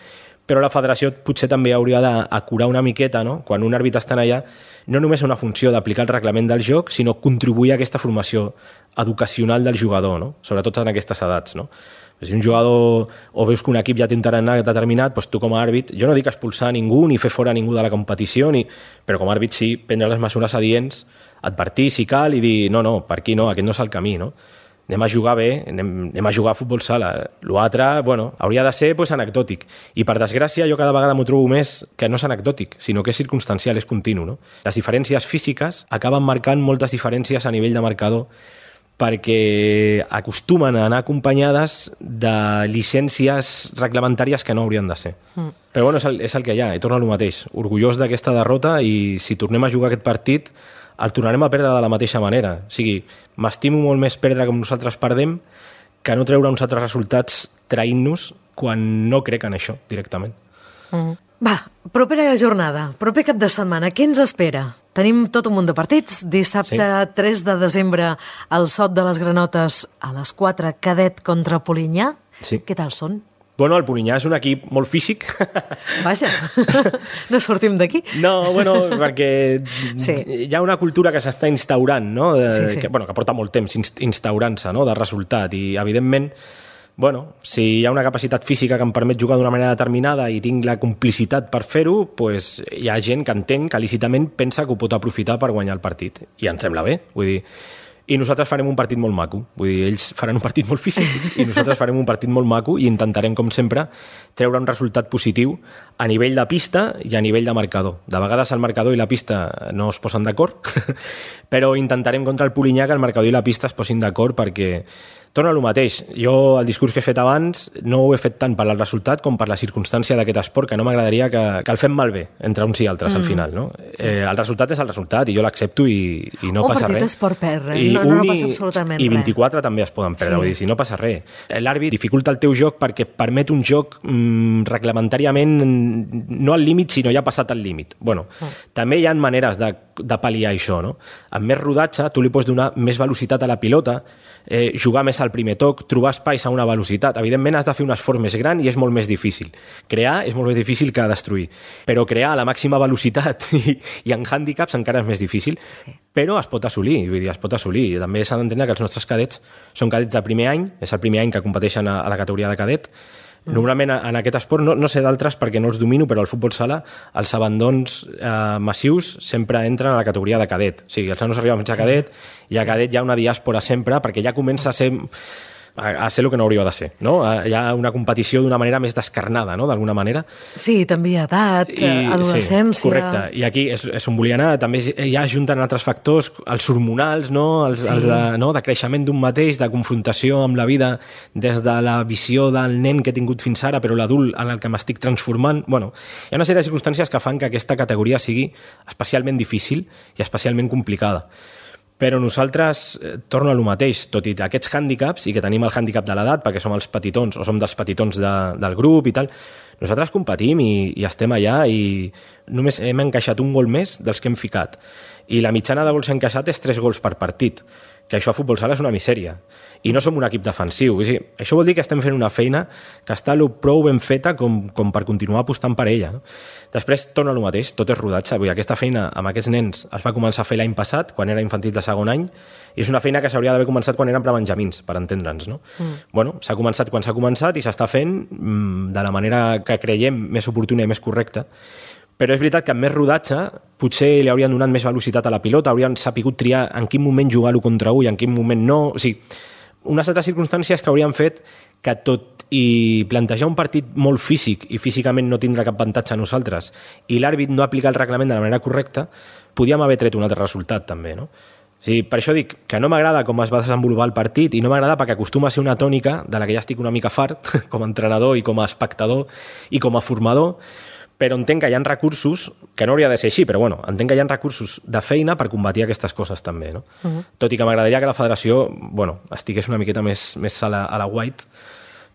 però la federació potser també hauria d'acurar una miqueta, no?, quan un àrbit està allà, no només una funció d'aplicar el reglament del joc, sinó contribuir a aquesta formació educacional del jugador, no?, sobretot en aquestes edats, no? Si un jugador o veus que un equip ja té un tarannà determinat, doncs tu com a àrbit, jo no dic expulsar ningú ni fer fora ningú de la competició, ni... però com a àrbit sí, prendre les mesures adients, advertir si cal i dir no, no, per aquí no, aquest no és el camí, no? Anem a jugar bé, anem, anem a jugar a futbol sala. L'altre, bueno, hauria de ser pues, anecdòtic. I per desgràcia jo cada vegada m'ho trobo més que no és anecdòtic, sinó que és circumstancial, és continu, no? Les diferències físiques acaben marcant moltes diferències a nivell de marcador perquè acostumen a anar acompanyades de llicències reglamentàries que no haurien de ser. Mm. Però bueno, és el, és el que hi ha, i torna al mateix. Orgullós d'aquesta derrota i si tornem a jugar aquest partit el tornarem a perdre de la mateixa manera. O sigui, m'estimo molt més perdre com nosaltres perdem que no treure uns altres resultats traint-nos quan no crec en això directament. Mm. Va, propera jornada, proper cap de setmana, què ens espera? Tenim tot un munt de partits. Dissabte sí. tres de desembre, el Sot de les Granotes a les quatre, Cadet contra Polinyà. Sí. Què tal són? Bueno, el Polinyà és un equip molt físic. Vaja, no sortim d'aquí. No, bueno, perquè sí. hi ha una cultura que s'està instaurant, no? De, sí, sí. Que, bueno, que porta molt temps instaurant-se, no?, de resultat. I, evidentment, bueno, si hi ha una capacitat física que em permet jugar d'una manera determinada i tinc la complicitat per fer-ho, pues, hi ha gent que entenc que lícitament pensa que ho pot aprofitar per guanyar el partit. I em sembla bé. Vull dir, i nosaltres farem un partit molt maco. Vull dir, ells faran un partit molt físic i nosaltres farem un partit molt maco i intentarem, com sempre, treure un resultat positiu a nivell de pista i a nivell de marcador. De vegades el marcador i la pista no es posen d'acord, però intentarem contra el Polinyà que el marcador i la pista es posin d'acord perquè torna al mateix. Jo, el discurs que he fet abans, no ho he fet tant per al resultat com per la circumstància d'aquest esport, que no m'agradaria que, que el fem malbé entre uns i altres, mm. al final. No? Sí. Eh, el resultat és el resultat i jo l'accepto i, i no un passa res. Un partit es pot perdre, I no, no, no passa absolutament res. I vint-i-quatre també es poden perdre, sí. Vull dir, si no passa res. L'àrbit dificulta el teu joc perquè permet un joc mm, reglamentàriament no al límit, sinó ja passat al límit. Bueno, mm. també hi ha maneres de, de pal·liar això, no? Amb més rodatge, tu li pots donar més velocitat a la pilota, eh, jugar més al primer toc, trobar espais a una velocitat. Evidentment has de fer un esforç més gran i és molt més difícil. Crear és molt més difícil que destruir, però crear a la màxima velocitat i, i en hàndicaps encara és més difícil, sí. Però es pot assolir, vull dir, es pot assolir. I també s'ha d'entendre que els nostres cadets són cadets de primer any, és el primer any que competeixen a, a la categoria de cadet. Normalment en aquest esport, no, no sé d'altres perquè no els domino, però al futbol sala els abandons eh, massius sempre entren a la categoria de cadet. O sigui, els nanos arriben fins a cadet i a cadet hi ha una diàspora sempre perquè ja comença a ser... a ser el que no hauria de ser, no? Hi ha una competició d'una manera més descarnada, no? D'alguna manera. Sí, també edat, I, adolescència... Sí, correcte, i aquí és, és on volia anar, també ja junten altres factors, els hormonals, no? Els, sí. els de, no? de creixement d'un mateix, de confrontació amb la vida des de la visió del nen que he tingut fins ara, però l'adult en el que m'estic transformant. Bueno, hi ha una sèrie de circumstàncies que fan que aquesta categoria sigui especialment difícil i especialment complicada. Però nosaltres, eh, torno a lo mateix, tot i aquests hàndicaps, i que tenim el hàndicap de l'edat, perquè som els petitons, o som dels petitons de, del grup i tal, nosaltres competim i, i estem allà i només hem encaixat un gol més dels que hem ficat. I la mitjana de gols encaixat és tres gols per partit, que això a futbol sala és una misèria. I no som un equip defensiu. O sigui, això vol dir que estem fent una feina que està prou ben feta com, com per continuar apostant per ella. No? Després torna al mateix, tot és rodatge. Vull dir, aquesta feina amb aquests nens es va començar a fer l'any passat, quan era infantil de segon any, i és una feina que s'hauria d'haver començat quan eren prebenjamins, per entendre'ns. No? Mm. Bueno, s'ha començat quan s'ha començat i s'està fent mm, de la manera que creiem més oportuna i més correcta. Però és veritat que amb més rodatge potser li haurien donat més velocitat a la pilota, haurien sapigut triar en quin moment jugar-ho contra u i en quin moment no. O sigui, unes altres circumstàncies que haurien fet que tot i plantejar un partit molt físic i físicament no tindrà cap avantatge a nosaltres i l'àrbit no aplicar el reglament de la manera correcta, podíem haver tret un altre resultat també, no? O sigui, per això dic que no m'agrada com es va desenvolupar el partit i no m'agrada perquè acostuma a ser una tònica de la que ja estic una mica fart com a entrenador i com a espectador i com a formador, però entenc que hi ha recursos, que no hauria de ser així, però bueno, entenc que hi ha recursos de feina per combatir aquestes coses també, no? Uh-huh. Tot i que m'agradaria que la federació, bueno, estigués una miqueta més, més a la, a la white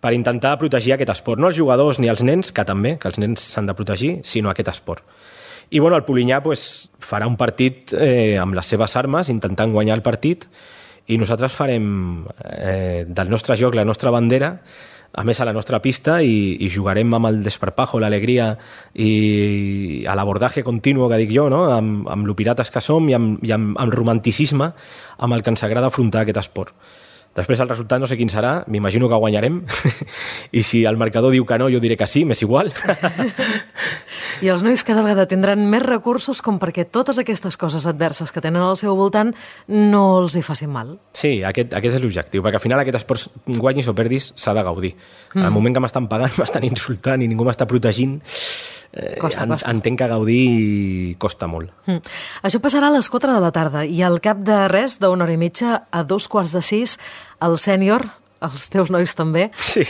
per intentar protegir aquest esport. No els jugadors ni els nens, que també, que els nens s'han de protegir, sinó aquest esport. I bueno, el Polinyà pues, farà un partit eh, amb les seves armes, intentant guanyar el partit, i nosaltres farem eh, del nostre joc la nostra bandera, a més a la nostra pista, i, i jugarem amb el desparpajo, l'alegria i a l'abordatge continu, que dic jo, no? amb, amb lo pirates que som i amb, i amb, amb el romanticisme amb el que ens agrada afrontar aquest esport. Després el resultat no sé quin serà, m'imagino que guanyarem, i si el marcador diu que no, jo diré que sí, m'és igual. I els nois cada vegada tindran més recursos com perquè totes aquestes coses adverses que tenen al seu voltant no els hi facin mal. Sí, aquest, aquest és l'objectiu, perquè al final aquest esport, guanyis o perdis, s'ha de gaudir. Mm. Al moment que m'estan pagant, m'estan insultant i ningú m'està protegint, Eh, costa, en, costa. Entenc que gaudir costa molt. Mm. Això passarà a les quatre de la tarda i al cap de res, d'una hora i mitja, a dos quarts de sis, el sènior, els teus nois també, sí.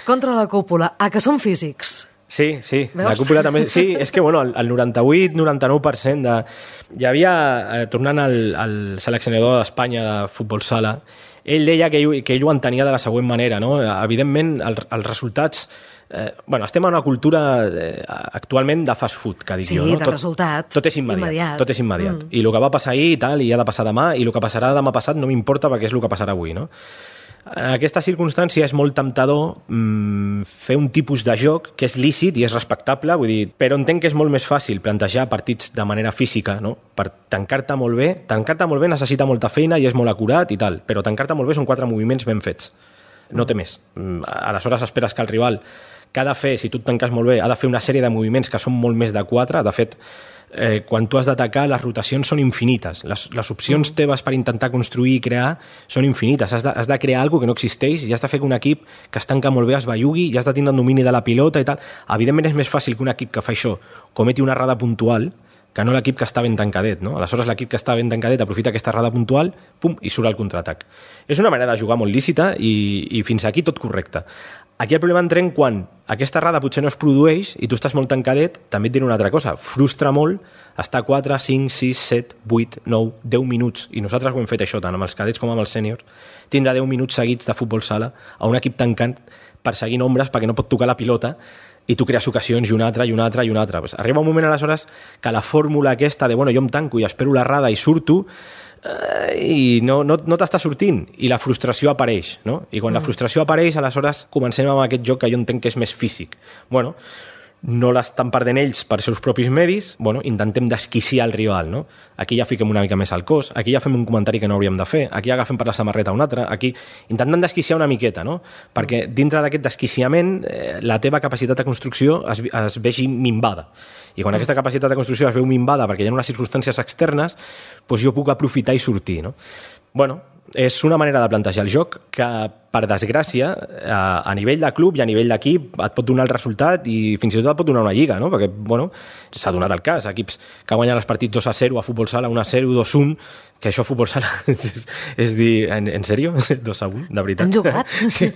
contra la cúpula. Ah, que són físics. Sí, sí, veus? La cúpula també... Sí, és que bueno, el noranta-vuit noranta-nou per cent de... Hi havia, eh, tornant al, al seleccionador d'Espanya de futbol sala, ell deia que ell, que ell ho entenia de la següent manera, no? Evidentment, el, els resultats... Eh, bueno, estem en una cultura eh, actualment de fast food, que dic sí, jo. No? de tot, resultat. Tot és immediat. immediat. Tot és immediat. Mm. I el que va passar ahir i tal, i ha de passar demà, i el que passarà demà passat no m'importa perquè és el que passarà avui, no? En aquesta circumstància és molt temptador mmm, fer un tipus de joc que és lícit i és respectable, vull dir, però entenc que és molt més fàcil plantejar partits de manera física, no? Per tancar-te molt bé. Tancar-te molt bé necessita molta feina i és molt acurat i tal, però tancar-te molt bé són quatre moviments ben fets. no té més. Aleshores esperes que el rival, que ha de fer, si tu et tanques molt bé, ha de fer una sèrie de moviments que són molt més de quatre. De fet, eh, quan tu has d'atacar, les rotacions són infinites. Les, les opcions teves per intentar construir i crear són infinites. Has de, has de crear alguna que no existeix i has de fer que un equip que es tanca molt bé es bellugui i has de tindre el domini de la pilota i tal. Evidentment és més fàcil que un equip que fa això cometi una errada puntual que no l'equip que està ben tancadet, no? Aleshores l'equip que està ben tancadet aprofita aquesta errada puntual, pum, i surt al contraatac. És una manera de jugar molt lícita i, i fins aquí tot correcte. Aquí el problema entrem quan aquesta errada potser no es produeix i tu estàs molt tancadet, també et diré una altra cosa, frustra molt estar quatre, cinc, sis, set, vuit, nou, deu minuts, i nosaltres ho hem fet això tant amb els cadets com amb els sèniors, tindrà deu minuts seguits de futbol sala a un equip tancant perseguint ombres perquè no pot tocar la pilota i tu crees ocasions i una altra, i una altra, i una altra. Pues arriba un moment aleshores que la fórmula aquesta de bueno, jo em tanco i espero l'errada i surto eh, i no, no, no t'està sortint i la frustració apareix, no? I quan mm. la frustració apareix, aleshores comencem amb aquest joc que jo entenc que és més físic. Bueno, no l'estan perdent ells per seus propis medis, bueno, intentem desquiciar el rival, no? Aquí ja fiquem una mica més al cos, aquí ja fem un comentari que no hauríem de fer, aquí agafem per la samarreta un altre, aquí intentem desquiciar una miqueta, no? Perquè dintre d'aquest desquiciament eh, la teva capacitat de construcció es, es vegi minvada. I quan aquesta capacitat de construcció es veu minvada perquè hi ha unes circumstàncies externes, doncs jo puc aprofitar i sortir, no? Bueno, és una manera de plantejar el joc que, per desgràcia, a nivell de club i a nivell d'equip et pot donar el resultat i fins i tot et pot donar una lliga, no? Perquè, bueno, s'ha donat el cas. Equips que guanyen els partits dos a zero, a futbol sala un a zero, dos a un, que això a futbol sala és, és dir, en, en sèrio? dos a un, de veritat? Han jugat? Sí.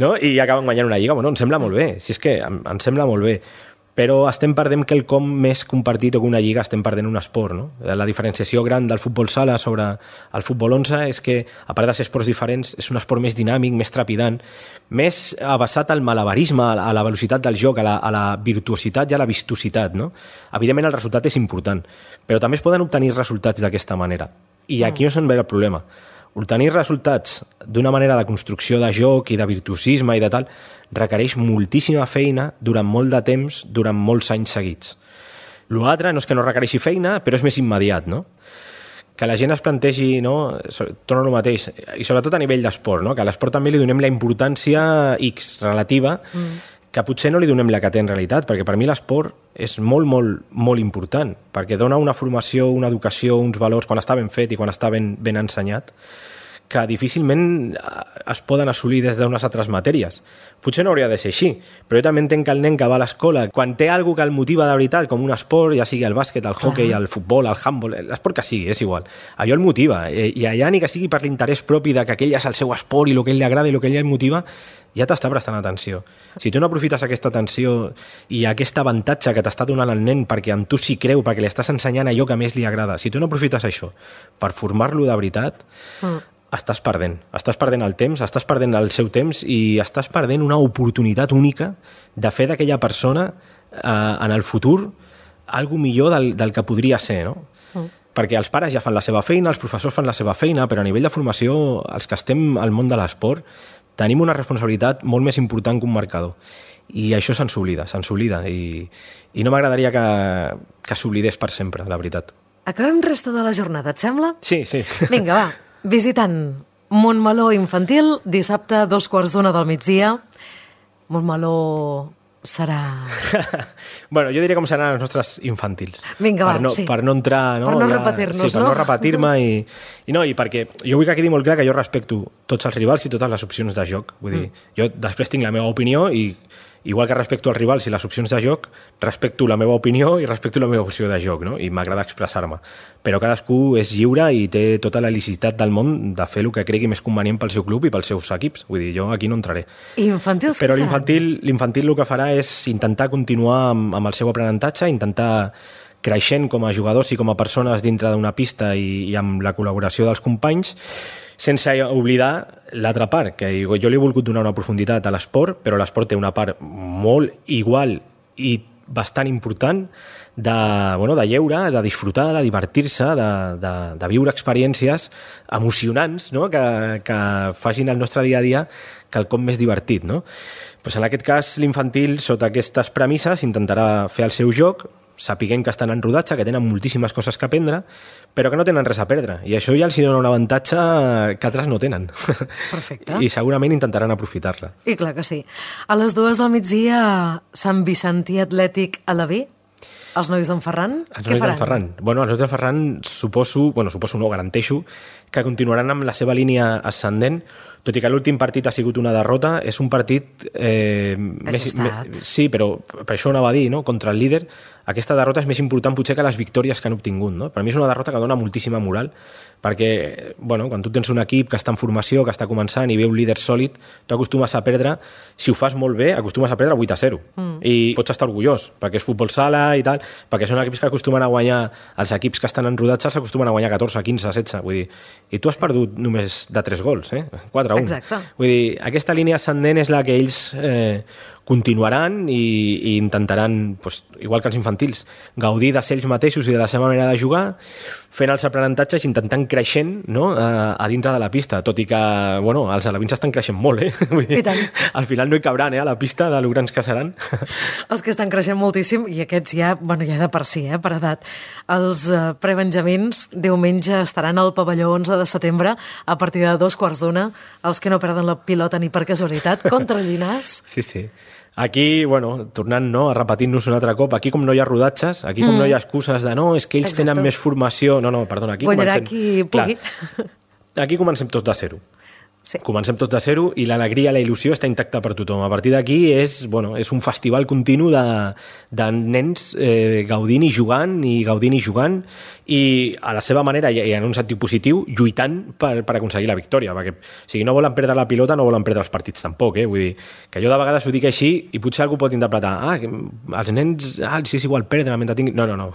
No? I acaben guanyant una lliga. Bueno, em sembla molt bé, si és que em, em sembla molt bé. Però estem perdent quelcom més compartit o que una lliga, estem perdent un esport, no? La diferenciació gran del futbol sala sobre el futbol onze és que, a part de ser esports diferents, és un esport més dinàmic, més trepidant, més basat al malabarisme, a la velocitat del joc, a la, a la virtuositat i a la vistositat, no? Evidentment el resultat és important, però també es poden obtenir resultats d'aquesta manera. I aquí és on ve el problema. Obtenir resultats d'una manera de construcció de joc i de virtuosisme i de tal requereix moltíssima feina durant molt de temps, durant molts anys seguits. L'altre no és que no requereixi feina, però és més immediat, no? Que la gent es plantegi, no? Torno al mateix, i sobretot a nivell d'esport, no? Que a l'esport també li donem la importància X relativa, mm. que potser no li donem la que té en realitat, perquè per mi l'esport és molt, molt, molt important, perquè dona una formació, una educació, uns valors, quan està ben fet i quan està ben, ben ensenyat, que difícilment es poden assolir des d'unes altres matèries. Potser no hauria de ser així, però jo també entenc que el nen que va a l'escola, quan té alguna que el motiva de veritat, com un esport, ja sigui el bàsquet, el hoquei, el futbol, el handball, l'esport que sigui, és igual, allò el motiva, i allà ni que sigui per l'interès propi de que aquell és el seu esport i el que ell li agrada i el que ell li motiva, ja t'està prestant atenció. Si tu no aprofites aquesta atenció i aquest avantatge que t'està donant el nen perquè amb tu s'hi creu, perquè li estàs ensenyant allò que més li agrada, si tu no aprofites això per formar-lo de veritat, mm. estàs perdent. Estàs perdent el temps, estàs perdent el seu temps i estàs perdent una oportunitat única de fer d'aquella persona eh, en el futur algo millor del, del que podria ser, no? Mm. Perquè els pares ja fan la seva feina, els professors fan la seva feina, però a nivell de formació, els que estem al món de l'esport, tenim una responsabilitat molt més important que un marcador. I això se'ns oblida, se'ns oblida. I, i no m'agradaria que, que s'oblidés per sempre, la veritat. Acabem resta de la jornada, et sembla? Sí, sí. Vinga, va. Visitant Montmeló Infantil, dissabte, dos quarts d'una del migdia. Montmeló serà... bueno, jo diria com seran els nostres infantils. Vinga, va, per no, sí. Per no entrar... No, per no ja, repetir-nos, sí, per no? no repetir-me i, i no, i perquè jo vull que quedi molt clar que jo respecto tots els rivals i totes les opcions de joc. Vull dir, mm. jo després tinc la meva opinió i igual que respecto els rivals i les opcions de joc, respecto la meva opinió i respecto la meva opció de joc, no? I m'agrada expressar-me. Però cadascú és lliure i té tota la licitat del món de fer el que cregui més convenient pel seu club i pels seus equips. Vull dir, jo aquí no entraré. I infantils Però l'infantil, l'infantil el que farà és intentar continuar amb, amb el seu aprenentatge, intentar creixent com a jugadors i com a persones dintre d'una pista i, i amb la col·laboració dels companys, sense oblidar l'altra part, que jo li he volgut donar una profunditat a l'esport, però l'esport té una part molt igual i bastant important de, bueno, de lleure, de disfrutar, de divertir-se, de, de, de viure experiències emocionants, no? que, que facin el nostre dia a dia quelcom més divertit. No? Pues en aquest cas, l'infantil, sota aquestes premisses, intentarà fer el seu joc, sapiguent que estan en rodatge, que tenen moltíssimes coses que aprendre, però que no tenen res a perdre. I això ja els dona un avantatge que altres no tenen. Perfecte. I segurament intentaran aprofitar-la. I clar que sí. A les dues del migdia, Sant Vicentí Atlètic a la B, els nois d'en Ferran, els què nois faran? d'en Ferran. Bueno, els nois d'en Ferran suposo, bueno, suposo no, garanteixo, que continuaran amb la seva línia ascendent, tot i que l'últim partit ha sigut una derrota, és un partit... Eh, més, me, sí, però per això anava a dir, no? Contra el líder, aquesta derrota és més important potser que les victòries que han obtingut. No? Per mi és una derrota que dona moltíssima moral, perquè bueno, quan tu tens un equip que està en formació, que està començant i ve un líder sòlid, tu acostumes a perdre, si ho fas molt bé, acostumes a perdre vuit a zero. Mm. I pots estar orgullós, perquè és futbol sala i tal, perquè són equips que acostumen a guanyar, els equips que estan en rodatge s'acostumen a guanyar catorze, quinze, setze, vull dir, i tu has perdut només de tres gols, eh? quatre a un. Exacte. Vull dir, aquesta línia ascendent és la que ells eh, continuaran i, i intentaran, pues, igual que els infantils, gaudir de ser ells mateixos i de la seva manera de jugar, fent els aprenentatges, intentant creixent, no? a, a dintre de la pista, tot i que bueno, els alevins estan creixent molt, eh? Vull dir, al final no hi cabran eh, a la pista de lo grans que seran. Els que estan creixent moltíssim, i aquests ja, bueno, ja de per si, eh, per edat. Els eh, prebenjamins diumenge estaran al pavelló onze de setembre a partir de dos quarts d'una, els que no perden la pilota ni per casualitat, contra Llinars. Sí, sí. Aquí, bueno, tornant no, a repetir-nos un altre cop, aquí com no hi ha rodatges, aquí com mm. no hi ha excuses de no, és que ells Exacte. Tenen més formació... No, no, perdona, aquí Guanyarà comencem... qui pugui. Clar, aquí comencem tots de zero. Sí. Comencem tots de zero i l'alegria, la il·lusió està intacta per tothom. A partir d'aquí és, bueno, és un festival continu de, de nens eh, gaudint i jugant i gaudint i jugant i a la seva manera, i en un sentit positiu, lluitant per, per aconseguir la victòria, perquè si no volen perdre la pilota no volen perdre els partits tampoc, eh? Vull dir, que jo de vegades ho dic així i potser algú pot interpretar, ah, els nens, ah, si és igual perdre mentre tinguin... No, no, no.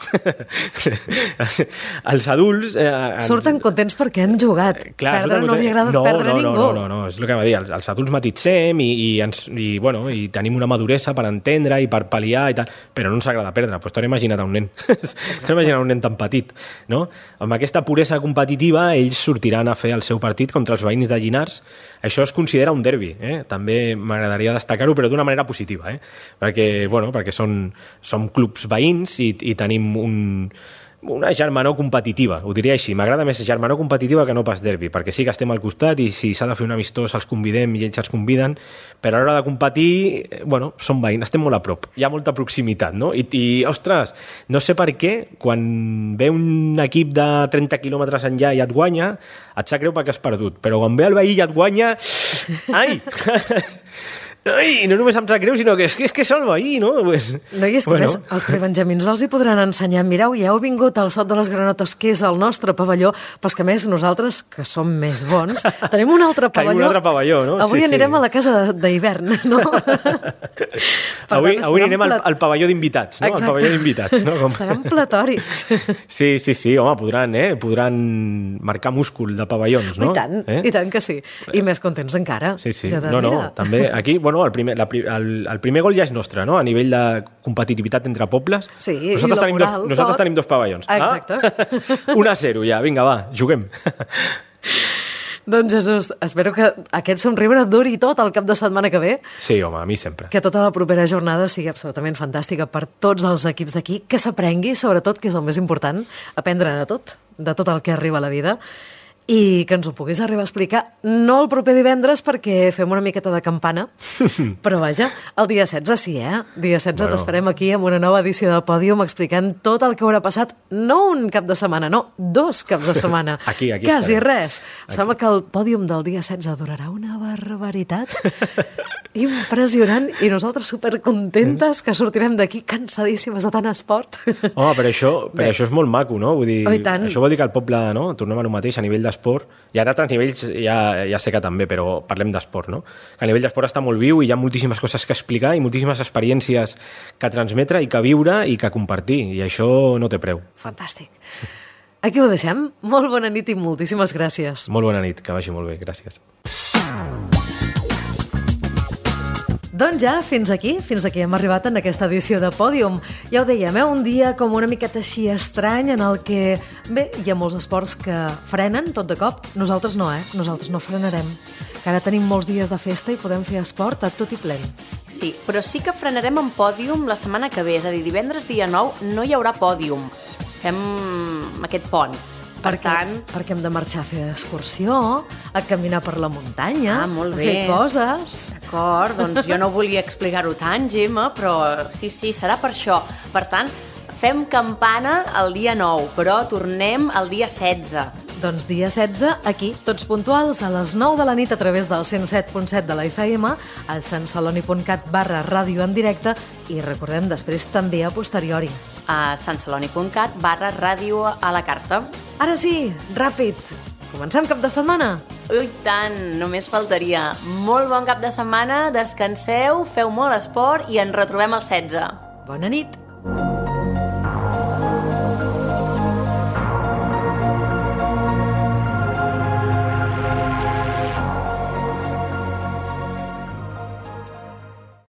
Els adults... Eh, ens... Surten contents perquè han jugat. Clar, perdre no li agrada no, perdre no, ningú. No, no, no, és el que va dir, els, els adults matitzem i, i, ens, i, bueno, i tenim una maduresa per entendre i per pal·liar i tal, però no ens agrada perdre, doncs t'ho he imaginat a un nen, t'ho he imaginat a un nen tan petit, no? Amb aquesta puresa competitiva ells sortiran a fer el seu partit contra els veïns de Llinars, això es considera un derbi, eh? També m'agradaria destacar-ho, però d'una manera positiva, eh? Perquè, sí. bueno, perquè són, som clubs veïns i, i tenim un... una germanor competitiva, ho diria així. M'agrada més germanor competitiva que no pas derbi, perquè sí que estem al costat i si s'ha de fer un amistós els convidem i ells els conviden, però a l'hora de competir, bueno, som veïns, estem molt a prop. Hi ha molta proximitat, no? I, i ostres, no sé per què, quan ve un equip de trenta quilòmetres enllà i et guanya, et sap greu perquè has perdut, però quan ve el veí i et guanya... Ai! Ai, no només em sap greu, sinó que és que, és que és el veí, no? Pues, no, i és que bueno. Més, els prebenjamins els hi podran ensenyar, mireu, ja heu vingut al Sot de les Granotes, que és el nostre pavelló, però és que més nosaltres, que som més bons, tenim un altre pavelló. Tenim un altre pavelló, no? Avui sí, anirem sí. a la casa d'hivern, no? avui tant, avui anirem plat... al, al pavelló d'invitats, no? Exacte. Al pavelló d'invitats, no? Com... Estaran platòrics. Sí, sí, sí, home, podran, eh? Podran marcar múscul de pavellons, no? I tant, eh? i tant que sí. I més contents encara. Sí, sí. De, no, no, mira. També aquí, bueno, el primer, la, el, el primer gol ja és nostre, no? A nivell de competitivitat entre pobles. Sí, nosaltres i tenim moral, dos, nosaltres tot. tenim dos pavellons. Exacte. Ah? un a zero ja, vinga, va, juguem. Doncs Jesús, espero que aquest somriure duri tot el cap de setmana que ve. Sí, home, a mi sempre. Que tota la propera jornada sigui absolutament fantàstica per tots els equips d'aquí, que s'aprengui, sobretot, que és el més important, aprendre de tot, de tot el que arriba a la vida, i que ens ho puguis arribar a explicar, no el proper divendres perquè fem una miqueta de campana, però vaja, el dia setze sí, eh? Dia setze bueno. T'esperem aquí amb una nova edició del Pòdium explicant tot el que haurà passat, no un cap de setmana, no, dos caps de setmana. aquí, aquí Quasi estarem. res. Aquí. Sembla que el Pòdium del dia setze durarà una barbaritat impressionant i nosaltres supercontentes que sortirem d'aquí cansadíssimes de tant esport. Home, però això, però això és molt maco, no? Vull dir, oh, això vol dir que el poble, no? Tornem a lo mateix a nivell d'esport, i ara a altres nivells ja, ja sé que també, però parlem d'esport, no? Que a nivell d'esport està molt viu i hi ha moltíssimes coses que explicar i moltíssimes experiències que transmetre i que viure i que compartir, i això no té preu. Fantàstic. Aquí ho deixem. Molt bona nit i moltíssimes gràcies. Molt bona nit, que vagi molt bé, gràcies. Doncs ja, fins aquí, fins aquí hem arribat en aquesta edició de Pòdium. Ja ho dèiem, eh? Un dia com una miqueta així estrany en el que, bé, hi ha molts esports que frenen tot de cop. Nosaltres no, eh? Nosaltres no frenarem. Que ara tenim molts dies de festa i podem fer esport a tot i plen. Sí, però sí que frenarem en Pòdium la setmana que ve, és a dir, divendres dia nou no hi haurà Pòdium. Fem aquest pont. Per perquè, tant... perquè hem de marxar a fer excursió, a caminar per la muntanya, ah, molt bé. a fer coses. D'acord, doncs jo no volia explicar-ho tant, Gemma, però sí, sí, serà per això. Per tant, fem campana el dia nou, però tornem el dia setze. Doncs dia setze, aquí, tots puntuals, a les nou de la nit a través del cent set punt set de la F M, a santceloni.cat barra ràdio en directe i recordem després també a posteriori. A santceloni.cat barra ràdio a la carta. Ara sí, ràpid, comencem cap de setmana? Ui, tant, només faltaria. Molt bon cap de setmana, descanseu, feu molt esport i ens retrobem el setze. Bona nit.